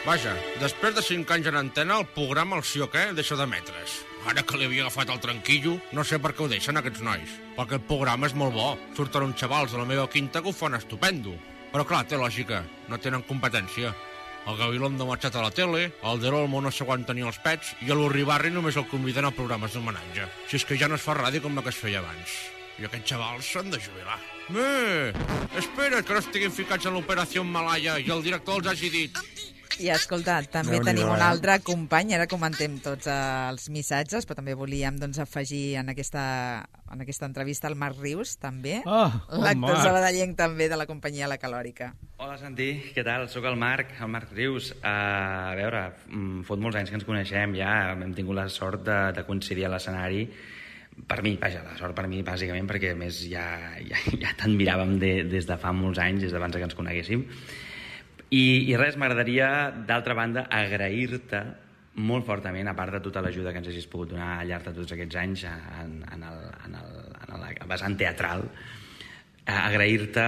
Vaja, després de 5 anys en antena, el programa El Sí o Què deixa d'emetre's. Ara que li havia agafat el tranquillo, no sé per què ho deixen aquests nois. Perquè el programa és molt bo. Surten uns xavals de la meva quinta que ho fan estupendo. Però clar, té lògica, no tenen competència. El Gabilondo ha marxat a la tele, el De l'Olmo no s'aguanta ni els pets i a l'Urribarri només el conviden a programes d'homenatge. Si és que ja no es fa ràdio com la que es feia abans. I aquests xavals s'han de jubilar. Espera, que no estiguin ficats en l'operació Malaya i el director els hagi dit... I escolta, també tenim un altre company, ara comentem tots els missatges, però també volíem afegir en aquesta entrevista el Marc Rius, també, l'actor sabadellenc també de la companyia La Calòrica. Hola Santi, què tal? Soc el Marc Rius. A veure, fot molts anys que ens coneixem ja, hem tingut la sort de coincidir a l'escenari. Per mi, vaja, la sort per mi bàsicament perquè a més ja t'admiràvem des de fa molts anys, des d'abans que ens coneguéssim. I res, m'agradaria, d'altra banda, agrair-te molt fortament, a part de tota l'ajuda que ens hagis pogut donar al llarg de tots aquests anys en el vessant teatral, agrair-te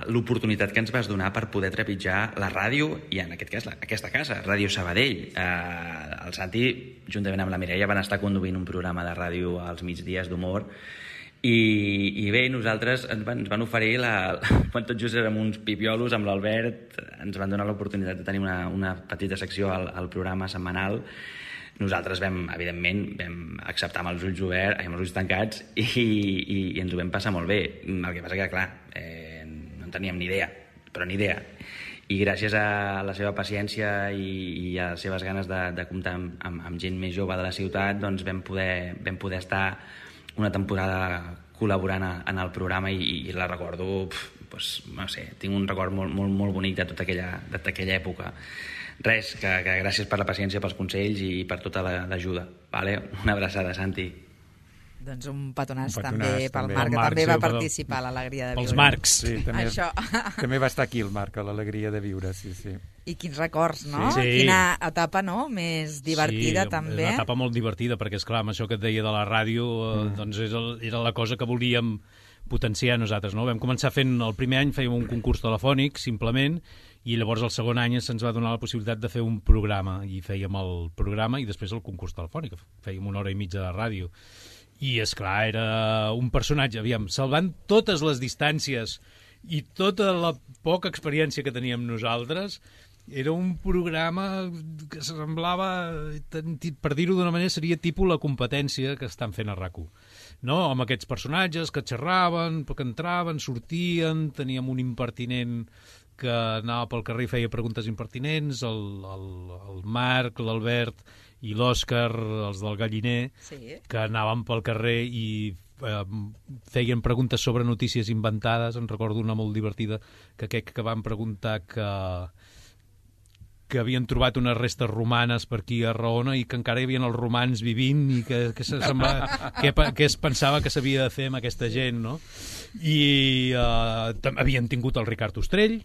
l'oportunitat que ens vas donar per poder trepitjar la ràdio i, en aquest cas, aquesta casa, Ràdio Sabadell. El Santi, juntament amb la Mireia, van estar conduint un programa de ràdio als migdies d'humor i bé, nosaltres ens van oferir, quan tot just érem uns pipiolos amb l'Albert, ens van donar l'oportunitat de tenir una petita secció al programa setmanal. Nosaltres evidentment, vam acceptar amb els ulls oberts, amb els ulls tancats i ens ho vam passar molt bé. El que passa que, clar, no en teníem ni idea, però ni idea. I gràcies a la seva paciència i a les seves ganes de comptar amb gent més jove de la ciutat, doncs vam poder estar una temporada col·laborant en el programa i la recordo, no sé, tinc un record molt bonic de tota aquella època. Res, que gràcies per la paciència, pels consells i per tota l'ajuda. Una abraçada, Santi. Doncs un petonàs també pel Marc, que també va participar a l'Alegria de Viure. Pels Marcs. Sí, també va estar aquí el Marc, a l'Alegria de Viure, sí. I quins records, no? Sí. Quina etapa, no?, més divertida, també. Sí, una etapa molt divertida, perquè, esclar, amb això que et deia de la ràdio, doncs era la cosa que volíem potenciar nosaltres, no? Vam començar fent, el primer any fèiem un concurs telefònic, simplement, i llavors el segon any se'ns va donar la possibilitat de fer un programa, i fèiem el programa i després el concurs telefònic, fèiem 1 hora i mitja de ràdio. I, esclar, era un personatge, salvant totes les distàncies i tota la poca experiència que teníem nosaltres, era un programa que semblava, per dir-ho d'una manera, seria tipus la competència que estan fent a RAC1. No? Amb aquests personatges que xerraven, que entraven, sortien, teníem un impertinent que anava pel carrer i feia preguntes impertinents, el Marc, l'Albert i l'Òscar, els del Galliner, que anaven pel carrer i feien preguntes sobre notícies inventades. En recordo una molt divertida, que van preguntar que havien trobat unes restes romanes per aquí a Raona i que encara hi havia els romans vivint i que es pensava que s'havia de fer amb aquesta gent, no? I havien tingut el Ricard Ostrell,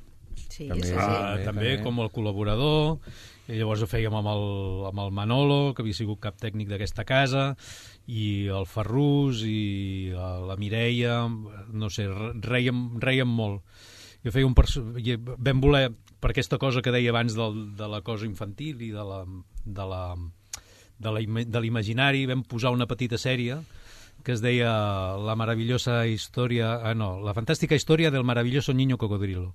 també com el col·laborador, i llavors ho fèiem amb el Manolo, que havia sigut cap tècnic d'aquesta casa, i el Ferrús i la Mireia, no sé, reiem molt. Jo feia vam voler, per aquesta cosa que deia abans de la cosa infantil i de l'imaginari, vam posar una petita sèrie que es deia La fantàstica història del maravilloso niño cocodrilo.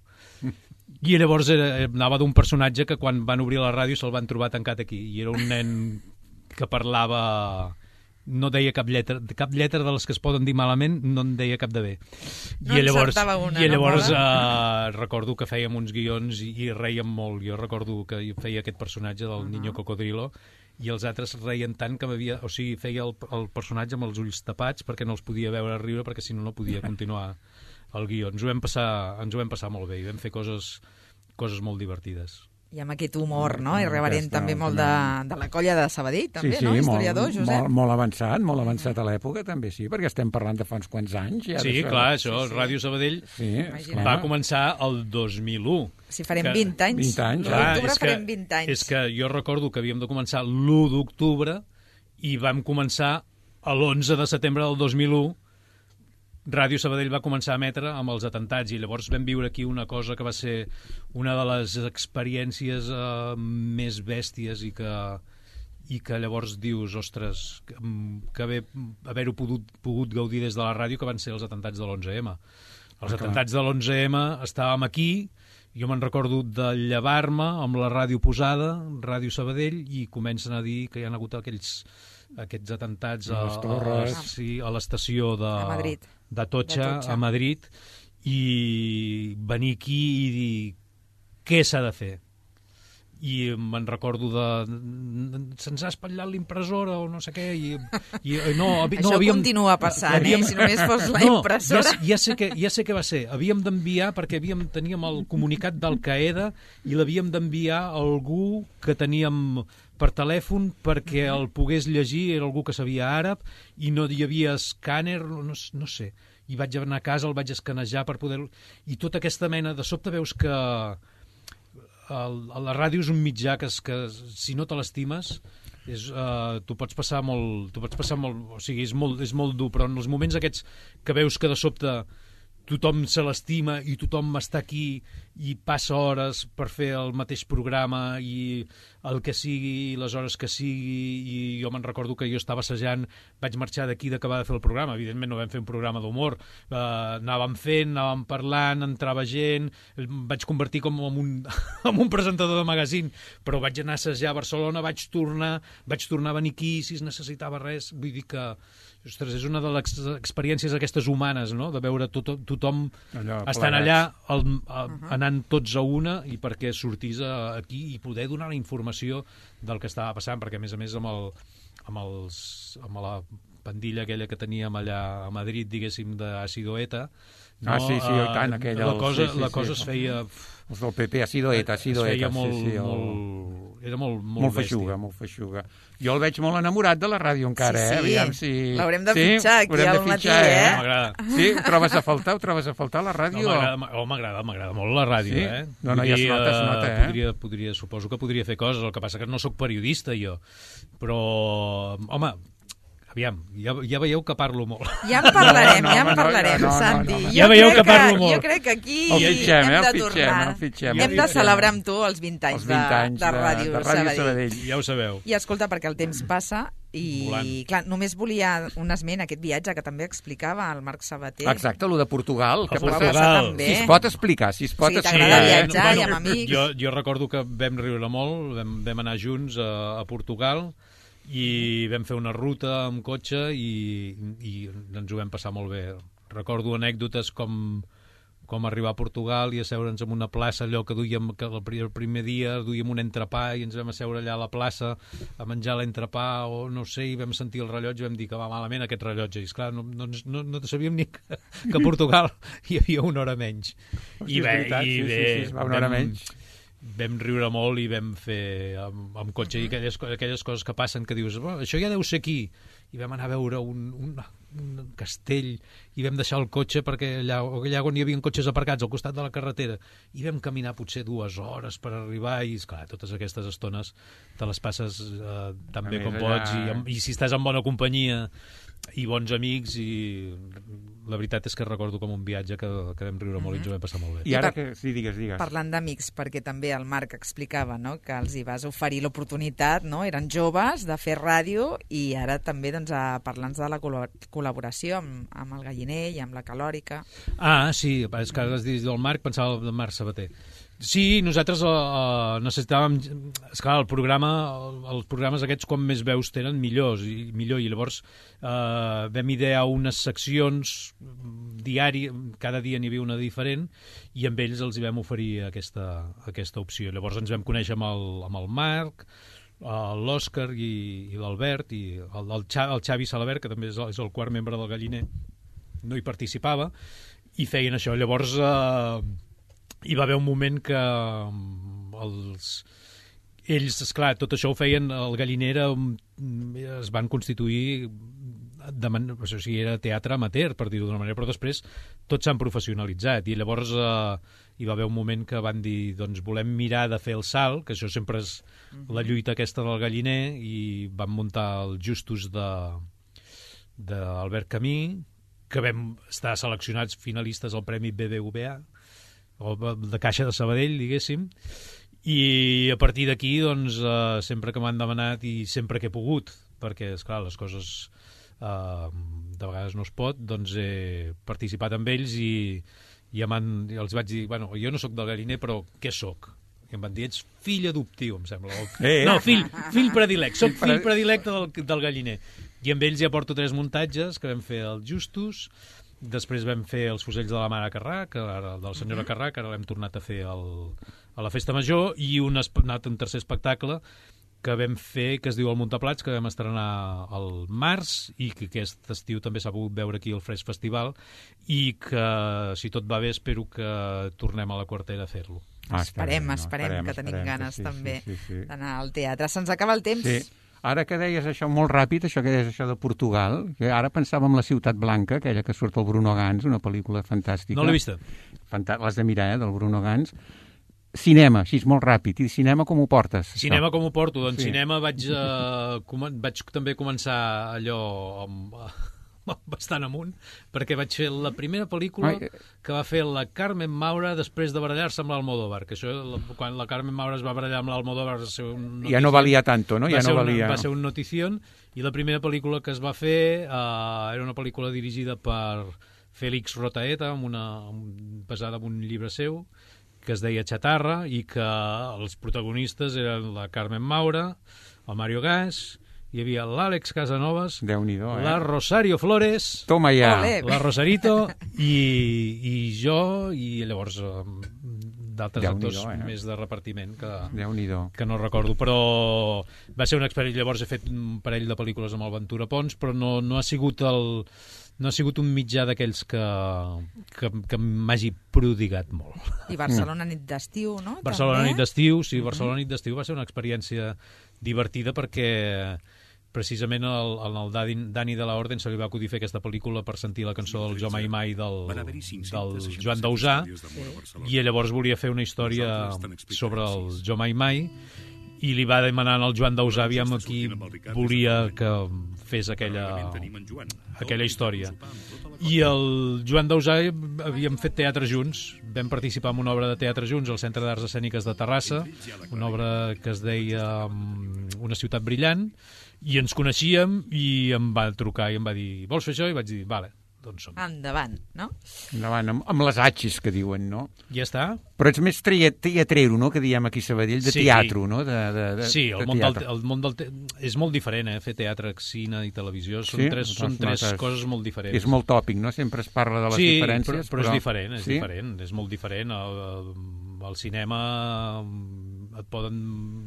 I llavors anava d'un personatge que quan van obrir la ràdio se'l van trobar tancat aquí, i era un nen que parlava, no deia cap lletra de les que es poden dir malament, no en deia cap de bé. I llavors recordo que fèiem uns guions i reiem molt. Jo recordo que feia aquest personatge del niño cocodrilo i els altres reien tant que feia el personatge amb els ulls tapats perquè no els podia veure riure, perquè si no podia continuar el guió. Ens ho vam passar molt bé i vam fer coses molt divertides. I amb aquest humor, no? Irreverent també molt de la colla de Sabadell, també, no? Historiador, Josep. Molt avançat a l'època, també, sí, perquè estem parlant de fa uns quants anys. Sí, clar, això, Ràdio Sabadell va començar el 2001. Si farem 20 anys. 20 anys. L'octubre farem 20 anys. És que jo recordo que havíem de començar l'1 d'octubre i vam començar l'11 de setembre del 2001. Ràdio Sabadell va començar a emetre amb els atentats i llavors vam viure aquí una cosa que va ser una de les experiències més bèsties i que llavors dius, ostres, que haver-ho pogut gaudir des de la ràdio, que van ser els atentats de l'11M. Els atentats de l'11M estàvem aquí, jo me'n recordo de llevar-me amb la ràdio posada, Ràdio Sabadell, i comencen a dir que hi ha hagut aquests atentats a l'estació d'Atocha, a Madrid, i venir aquí i dir què s'ha de fer. i me'n recordo se'ns ha espatllat l'impressora o no sé què, i no, això continua passant, si només fos la impressora. Ja sé què va ser. Havíem d'enviar, perquè teníem el comunicat d'Al-Qaeda i l'havíem d'enviar a algú que teníem per telèfon perquè el pogués llegir, era algú que sabia àrab i no hi havia escàner, no sé. I vaig anar a casa, el vaig escanejar per poder... I tota aquesta mena... De sobte veus que la ràdio és un mitjà que si no te l'estimes, tu pots passar molt... O sigui, és molt dur, però en els moments aquests que veus que de sobte tothom se l'estima i tothom està aquí i passa hores per fer el mateix programa i el que sigui, les hores que sigui, i jo me'n recordo que jo estava assajant, vaig marxar d'aquí d'acabar de fer el programa, evidentment no vam fer un programa d'humor, anàvem parlant, entrava gent, vaig convertir com en un presentador de magazín, però vaig anar a assajar a Barcelona, vaig tornar a venir aquí si es necessitava res, vull dir que ostres, és una de les experiències aquestes humanes, no?, de veure tothom estant allà, anant tots a una, i perquè sortís aquí i poder donar la informació del que estava passant, perquè a més amb la pandilla aquella que teníem allà a Madrid, diguéssim, d'Ácido ETA, no? Sí, i tant, aquella... La cosa es feia... Els del PP, Ácido ETA, era molt feixuga, molt feixuga. Jo el veig molt enamorat de la ràdio encara, Aviam si... L'haurem de fitxar aquí al matí, M'agrada. Sí? Ho trobes a faltar, la ràdio? M'agrada molt la ràdio, No, ja es nota, Suposo que podria fer coses, el que passa que no sóc periodista, jo. Però, home... Aviam, ja veieu que parlo molt. Ja en parlarem, Santi. Ja veieu que parlo molt. Jo crec que aquí hem de tornar. Hem de celebrar amb tu els 20 anys de Ràdio Sabadell. Ja ho sabeu. I escolta, perquè el temps passa i, clar, només volia un esment, aquest viatge que també explicava el Marc Sabater. Exacte, el de Portugal. Que Portugal. Si es pot explicar, si es pot explicar. T'agrada viatjar i amb amics. Jo recordo que vam riure molt, vam anar junts a Portugal, i vam fer una ruta amb cotxe i ens ho vam passar molt bé. Recordo anècdotes com arribar a Portugal i asseure'ns en una plaça, allò que duíem, que el primer dia duíem un entrepà i ens vam asseure allà a la plaça a menjar l'entrepà o no sé, i vam sentir el rellotge i vam dir que va malament aquest rellotge. I esclar, no sabíem ni que a Portugal hi havia una hora menys. I bé, una hora menys. Vam riure molt i vam fer amb cotxe i aquelles coses que passen que dius, això ja deu ser aquí, i vam anar a veure un castell i vam deixar el cotxe perquè allà on hi havia cotxes aparcats al costat de la carretera i vam caminar potser 2 hores per arribar i, esclar, totes aquestes estones te les passes tan bé com pots i si estàs en bona companyia i bons amics, i la veritat és que recordo com un viatge que vam riure molt i ens ho vam passar molt bé. I ara que... Sí, digues. Parlant d'amics, perquè també el Marc explicava, no?, que els hi vas oferir l'oportunitat, no?, eren joves, de fer ràdio, i ara també parlant de la col·laboració amb el Galliner i amb la Calòrica. Sí, és que has dit del Marc, pensava del Marc Sabater. Sí, nosaltres necessitàvem... Esclar, els programes aquests, quan més veus tenen, millor, i llavors vam idear unes seccions diàries, cada dia n'hi havia una diferent, i amb ells els hi vam oferir aquesta opció. Llavors ens vam conèixer amb el Marc, l'Òscar i l'Albert, i el Xavi Salabert, que també és el quart membre del Galliner, no hi participava, i feien això. Llavors... hi va haver un moment que ells, esclar, tot això ho feien, el Galliner es van constituir, o sigui, era teatre amateur, per dir-ho d'una manera, però després tots s'han professionalitzat, i llavors hi va haver un moment que van dir, doncs volem mirar de fer el salt, que això sempre és la lluita aquesta del Galliner, i van muntar els Justos d'Albert Camí, que vam estar seleccionats finalistes al Premi BBVA, o de Caixa de Sabadell, diguéssim, i a partir d'aquí, doncs, sempre que m'han demanat i sempre que he pogut, perquè, esclar, les coses de vegades no es pot, doncs he participat amb ells i els vaig dir, bueno, jo no sóc del Galliner, però què sóc? I em van dir, ets fill adoptiu, em sembla. No, fill predilecte, soc fill predilecte del Galliner. I amb ells ja porto 3 muntatges que vam fer els Justos. Després vam fer els Fusells de la Mare Carrà, del senyora Carrà, que ara l'hem tornat a fer a la Festa Major, i un tercer espectacle que vam fer, que es diu El Muntaplats, que vam estrenar al març i que aquest estiu també s'ha pogut veure aquí al Fresc Festival, i que, si tot va bé, espero que tornem a la Quartera a fer-lo. Esperem, que tenim ganes també d'anar al teatre. Se'ns acaba el temps. Sí. Ara que deies això molt ràpid, això que deies això de Portugal, que ara pensava en La Ciutat Blanca, aquella que surt el Bruno Gans, una pel·lícula fantàstica. No l'he vista. L'has de mirar, del Bruno Gans. Cinema, així molt ràpid. I cinema com ho portes? Cinema com ho porto? Doncs cinema vaig també començar allò bastant amunt, perquè vaig fer la primera pel·lícula que va fer la Carmen Maura després de barallar-se amb l'Almodóvar, que això, quan la Carmen Maura es va barallar amb l'Almodóvar va ser un notición. Ja no valia tanto, no? Va ser un notición, i la primera pel·lícula que es va fer era una pel·lícula dirigida per Félix Rotaeta, basada en un llibre seu, que es deia Chatarra, i que els protagonistes eren la Carmen Maura, el Mario Gas, hi havia l'Àlex Casanovas, la Rosario Flores, toma ja, la Rosarito, i jo, i llavors d'altres actors més de repartiment que no recordo, però va ser una experiència. Llavors he fet un parell de pel·lícules amb el Ventura Pons, però no ha sigut un mitjà d'aquells que m'hagi prodigat molt. I Barcelona nit d'estiu, no? Barcelona nit d'estiu, sí, Barcelona nit d'estiu va ser una experiència divertida perquè precisament al Dani de la Orden se li va acudir fer aquesta pel·lícula per sentir la cançó del Jo Mai Mai del Joan Dausà, i llavors volia fer una història sobre el Jo Mai Mai, i li va demanar al Joan Dausà aviam qui volia que fes aquella història. I el Joan Dausà havíem fet teatre junts, vam participar en una obra de teatre junts al Centre d'Arts Escèniques de Terrassa, una obra que es deia Una ciutat brillant, i ens coneixíem, i em va trucar i em va dir, vols fer això? I vaig dir, vale, doncs som. Endavant, no? Endavant, amb les atxes que diuen, no? Ja està. Però ets més teatrero, no?, que diem aquí a Sabadell, de teatre, no? Sí, el món del és molt diferent, fer teatre, cine i televisió, són tres coses molt diferents. És molt tòpic, no? Sempre es parla de les diferències. Sí, però és diferent, és molt diferent. Al cinema et poden...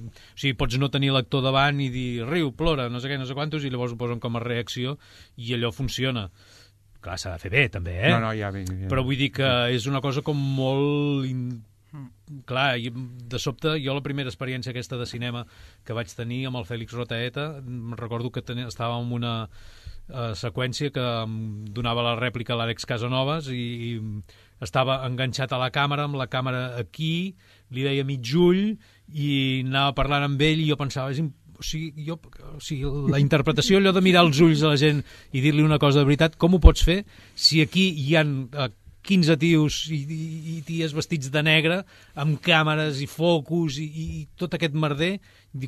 O sigui, pots no tenir l'actor davant i dir riu, plora, no sé què, no sé quantos, i llavors ho posen com a reacció i allò funciona. Clar, s'ha de fer bé, també, No, ja bé. Però vull dir que és una cosa com molt... Clar, de sobte, jo la primera experiència aquesta de cinema que vaig tenir amb el Fèlix Rotaeta, recordo que estàvem en una seqüència que donava la rèplica a l'Àlex Casanovas i estava enganxat a la càmera, amb la càmera aquí, li deia mig ull i anava parlant amb ell i jo pensava, la interpretació, allò de mirar els ulls a la gent i dir-li una cosa de veritat, com ho pots fer si aquí hi ha 15 tios i ties vestits de negre amb càmeres i focus i tot aquest merder,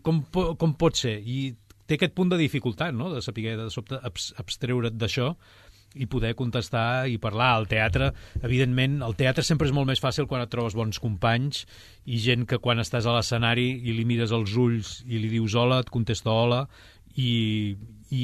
com pot ser? I té aquest punt de dificultat, no?, de saber de sobte abstreure't d'això i poder contestar i parlar. Al teatre, evidentment, el teatre sempre és molt més fàcil quan et trobes bons companys i gent que quan estàs a l'escenari i li mires els ulls i li dius hola, et contesta hola i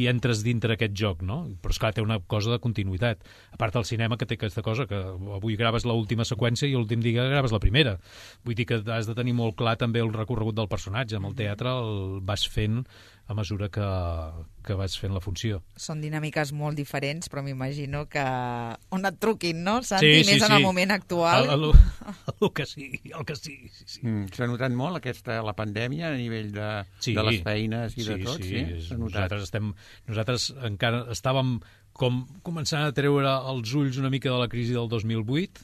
entres dintre aquest joc, no? Però, esclar, té una cosa de continuïtat. A part del cinema, que té aquesta cosa que avui graves l'última seqüència i l'últim dia graves la primera. Vull dir que has de tenir molt clar també el recorregut del personatge. Amb el teatre el vas fent a mesura que vas fent la funció. Són dinàmiques molt diferents, però m'imagino que on et truquin, no, Santi? Més en el moment actual. El que sí. S'ha notat molt la pandèmia a nivell de les feines i de tot? Sí. Nosaltres encara estàvem començant a treure els ulls una mica de la crisi del 2008,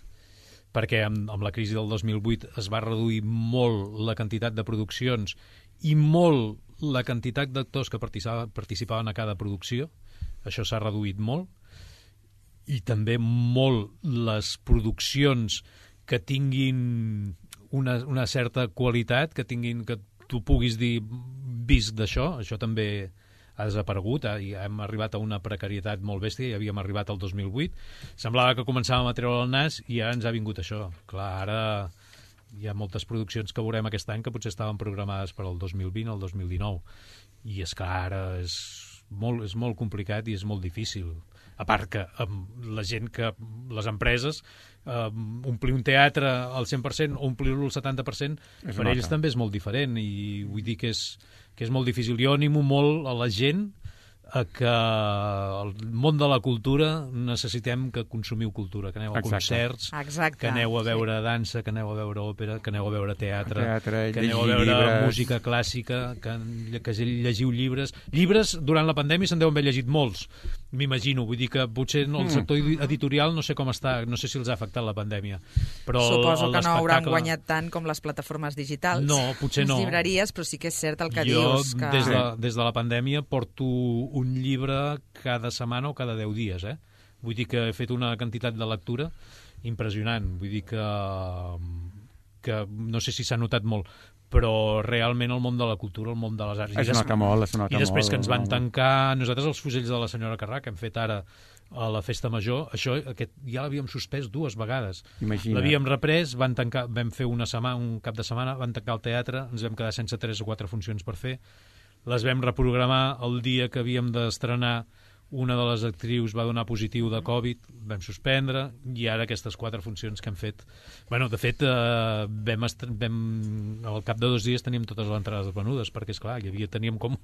perquè amb la crisi del 2008 es va reduir molt la quantitat de produccions i molt la quantitat d'actors que participaven a cada producció. Això s'ha reduït molt. I també molt les produccions que tinguin una certa qualitat, que tu puguis dir visc d'això, això també ha desaparegut, i hem arribat a una precarietat molt bèstia, i havíem arribat al 2008. Semblava que començàvem a treure el nas i ara ens ha vingut això. Clar, ara hi ha moltes produccions que veurem aquest any que potser estaven programades per al 2020 o el 2019. I és que ara molt complicat i és molt difícil. A part que la gent que... Les empreses, omplir un teatre al 100% o omplir-lo al 70%, per ells també és molt diferent i vull dir que és molt difícil. Jo animo molt a la gent a que el món de la cultura necessitem que consumiu cultura, que aneu a concerts, que aneu a veure dansa, que aneu a veure òpera, que aneu a veure teatre, que aneu a veure música clàssica, que llegiu llibres. Llibres, durant la pandèmia se'n deuen haver llegit molts, m'imagino. Vull dir que potser el sector editorial no sé com està, no sé si els ha afectat la pandèmia. Però suposo que no hauran guanyat tant com les plataformes digitals. No, potser no. Les llibreries, però sí que és cert el que dius. Jo, des de la pandèmia, porto un llibre cada setmana o cada 10 dies, Vull dir que he fet una quantitat de lectura impressionant. Vull dir que no sé si s'ha notat molt, però realment el món de la cultura, el món de les arts... Es nota molt. I després que ens van tancar... Nosaltres, els fusells de la senyora Carrà, que hem fet ara a la Festa Major, això ja l'havíem suspès 2 vegades. L'havíem reprès, vam fer un cap de setmana, van tancar el teatre, ens vam quedar sense 3 o 4 funcions per fer, les vam reprogramar el dia que havíem d'estrenar. Una de les actrius va donar positiu de Covid, vam suspendre, i ara aquestes 4 funcions que hem fet... Bueno, de fet, al cap de 2 dies teníem totes les entrades venudes, perquè, esclar, teníem com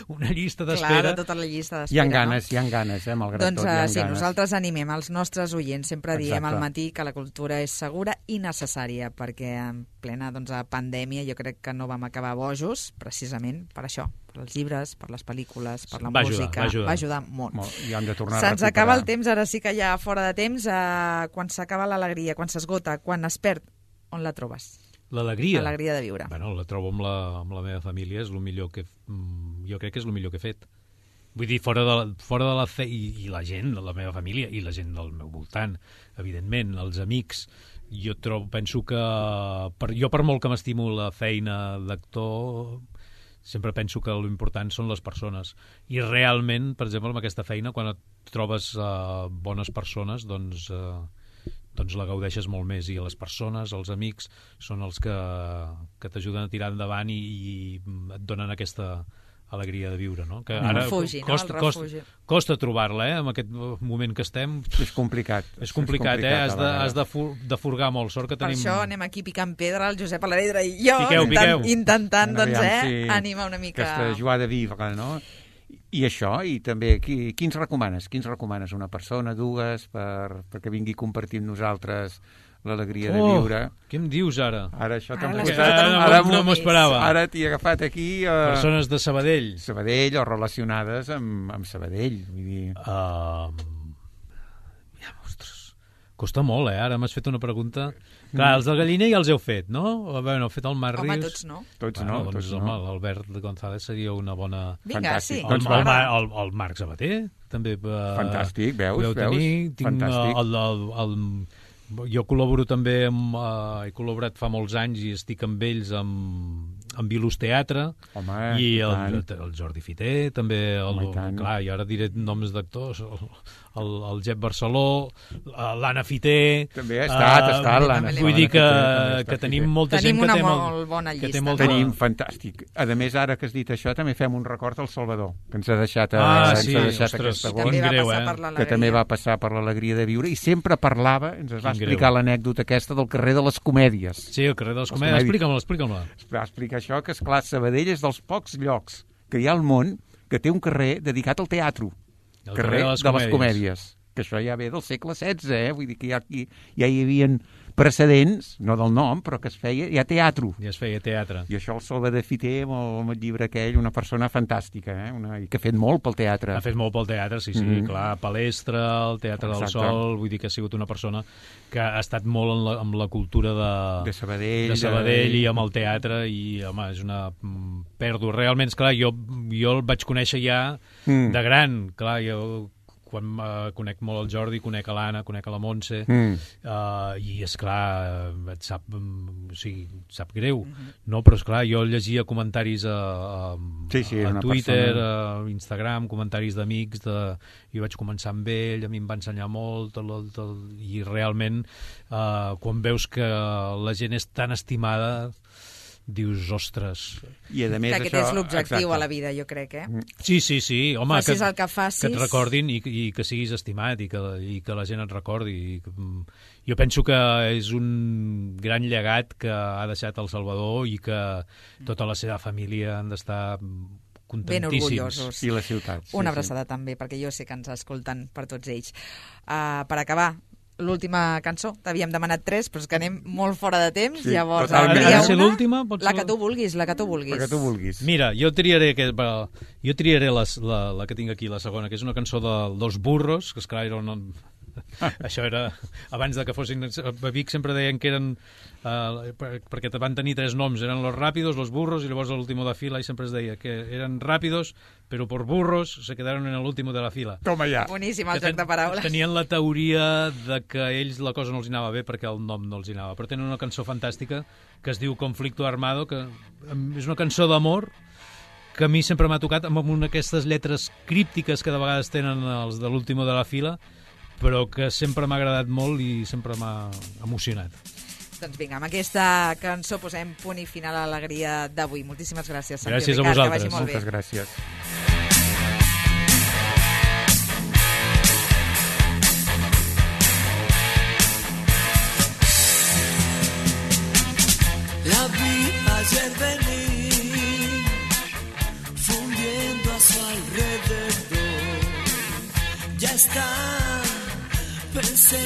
una llista d'espera. Clar, tota la llista d'espera. Hi ha ganes, malgrat tot. Doncs sí, nosaltres animem els nostres oients, sempre diem al matí que la cultura és segura i necessària, perquè en plena pandèmia jo crec que no vam acabar bojos, precisament per això, per els llibres, per les pel·lícules, per la música. Va ajudar molt. I hem de tornar a Se'ns recuperar. acaba el temps, ara sí que ja fora de temps, quan s'acaba l'alegria, quan s'esgota, quan es perd, on la trobes? L'alegria? L'alegria de viure. Bueno, la trobo amb la meva família, és el millor que... Jo crec que és el millor que he fet. Vull dir, fora de la fe... I la gent, la meva família, i la gent del meu voltant, evidentment, els amics... Jo penso que... Jo, per molt que m'estimo la feina d'actor... Sempre penso que l'important són les persones. I realment, per exemple, amb aquesta feina, quan et trobes bones persones, doncs la gaudeixes molt més. I les persones, els amics, són els que t'ajuden a tirar endavant i et donen aquesta alegria de viure, no? Que ara costa trobar-la, en aquest moment que estem. És complicat. És complicat, has de furgar molt. Sort que tenim... Per això anem aquí picant pedra, el Josep Alavedra i jo, intentant animar una mica... Aquesta joie de vivre, no? I això, i també, quins recomanes? Quins recomanes? Una persona, 2, perquè vingui a compartir amb nosaltres l'alegria de viure. Què em dius ara? Ara això t'ha no m'ho esperava. Ara t'hi he agafat aquí... Persones de Sabadell. Sabadell o relacionades amb Sabadell. Vull dir... Ostres, costa molt, Ara m'has fet una pregunta... Clar, els del Galliner ja els heu fet, no? Bueno, heu fet el Marc Rius... Home, tots no. Tots no. L'Albert González seria una bona... Vinga, sí. El Marc Sabater, també... Fantàstic, veus? Fantàstic. Jo col·laboro també he col·laborat fa molts anys i estic amb ells amb Vilús Teatre. Home, i el Jordi Fiter també, clar, i ara diré noms d'actors, el Jep Barceló, l'Anna Fiter... També ha estat l'Anna. Vull dir que tenim molta gent que té molt bona llista. Tenim, fantàstic. A més, ara que has dit això, també fem un record al Salvador, que ens ha deixat aquest agost, que també va passar per l'alegria de viure, i sempre parlava, ens va explicar l'anècdota aquesta del carrer de les Comèdies. Sí, el carrer de les Comèdies. Explica-me-la. Va explicar això, que esclar, Sabadell és dels pocs llocs que hi ha al món que té un carrer dedicat al teatre. El carrer de les Comèdies. Que això ja ve del segle XVI, vull dir que ja hi havia precedents, no del nom, però que es feia ja teatre. Ja es feia teatre. I això el Salvador Fiter, amb el llibre aquell, una persona fantàstica, i que ha fet molt pel teatre. Ha fet molt pel teatre, sí, clar, Palestra, el Teatre del Sol, vull dir que ha sigut una persona que ha estat molt amb la cultura de Sabadell i amb el teatre, i, home, és una pèrdua. Realment, esclar, jo el vaig conèixer ja de gran, clar, jo... quan conec molt el Jordi, conec a l'Anna, conec a la Montse, i, esclar, et sap greu, no? Però, esclar, jo llegia comentaris a Twitter, a Instagram, comentaris d'amics, i vaig començar amb ell, a mi em va ensenyar molt, i realment, quan veus que la gent és tan estimada, dius, ostres... I a més que aquest és l'objectiu a la vida, jo crec, Sí, home, facis el que facis... que et recordin i que siguis estimat i que la gent et recordi. Jo penso que és un gran llegat que ha deixat El Salvador i que tota la seva família han d'estar ben orgullosos. I la ciutat. Una abraçada també, perquè jo sé que ens escolten per tots ells. Per acabar, l'última cançó, t'havíem demanat 3, però és que anem molt fora de temps, llavors... Ha de ser l'última? La que tu vulguis, la que tu vulguis. Mira, jo triaré la que tinc aquí, la segona, que és una cançó dels Burros, que esclar era un... Això era abans de que fossin... A Vic sempre deien que eren... perquè van tenir 3 noms, eren los Rápidos, los Burros i llavors l'último de fila, i sempre es deia que eren Rápidos, però por burros se quedaron en el último de la fila. Toma ja. Boníssim el joc de paraules. Tenien la teoria de que a ells la cosa no els anava bé perquè el nom no els anava, però tenen una cançó fantàstica que es diu Conflicto Armado, que és una cançó d'amor que a mi sempre m'ha tocat amb una d'aquestes lletres críptiques que de vegades tenen els de l'último de la fila, però que sempre m'ha agradat molt i sempre m'ha emocionat. Doncs vinga, amb aquesta cançó posem punt i final a l'alegria d'avui. Moltíssimes gràcies, Santi. Gràcies a vosaltres. Moltes gràcies. La vi ayer venir, fundiendo a su alrededor. Ya está, pensé,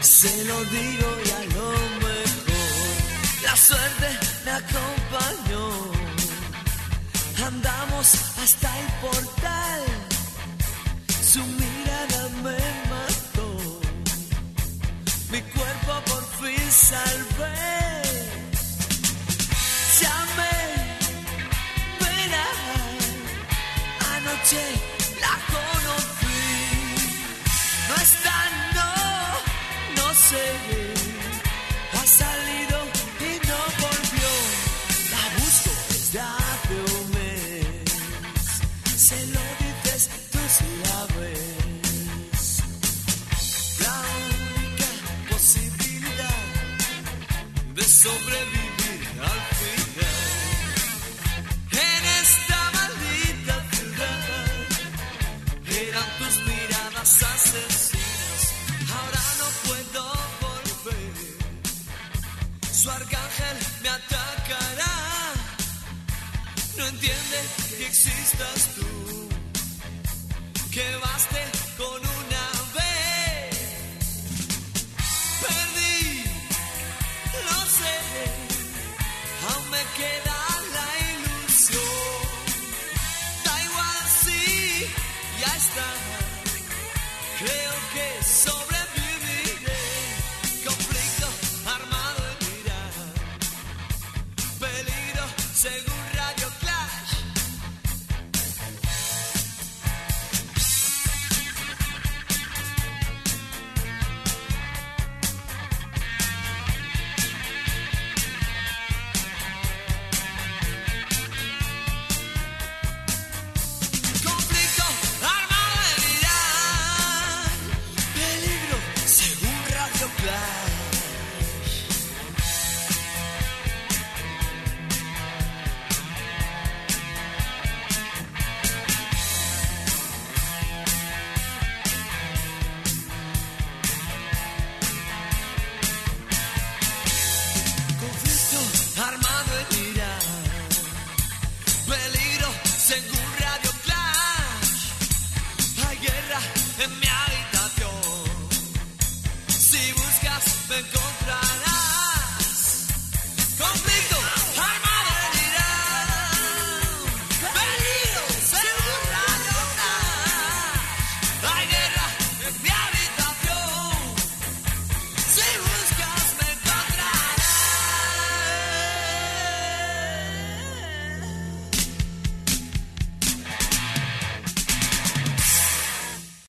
se lo digo y a lo mejor la suerte me acompañó. Andamos hasta el portal, su mirada me mató. Mi cuerpo por fin salvé. Llamé, verás, anoche la conocí. No está, no sé, ha salido y no volvió. La busco desde hace un mes. Se lo dices, tú sí la ves. La única posibilidad de sobrevivir al final en esta maldita ciudad eran tus miradas asesinas. Ahora no puedo volver, su arcángel me atacará. No entiende que existas tú, que baste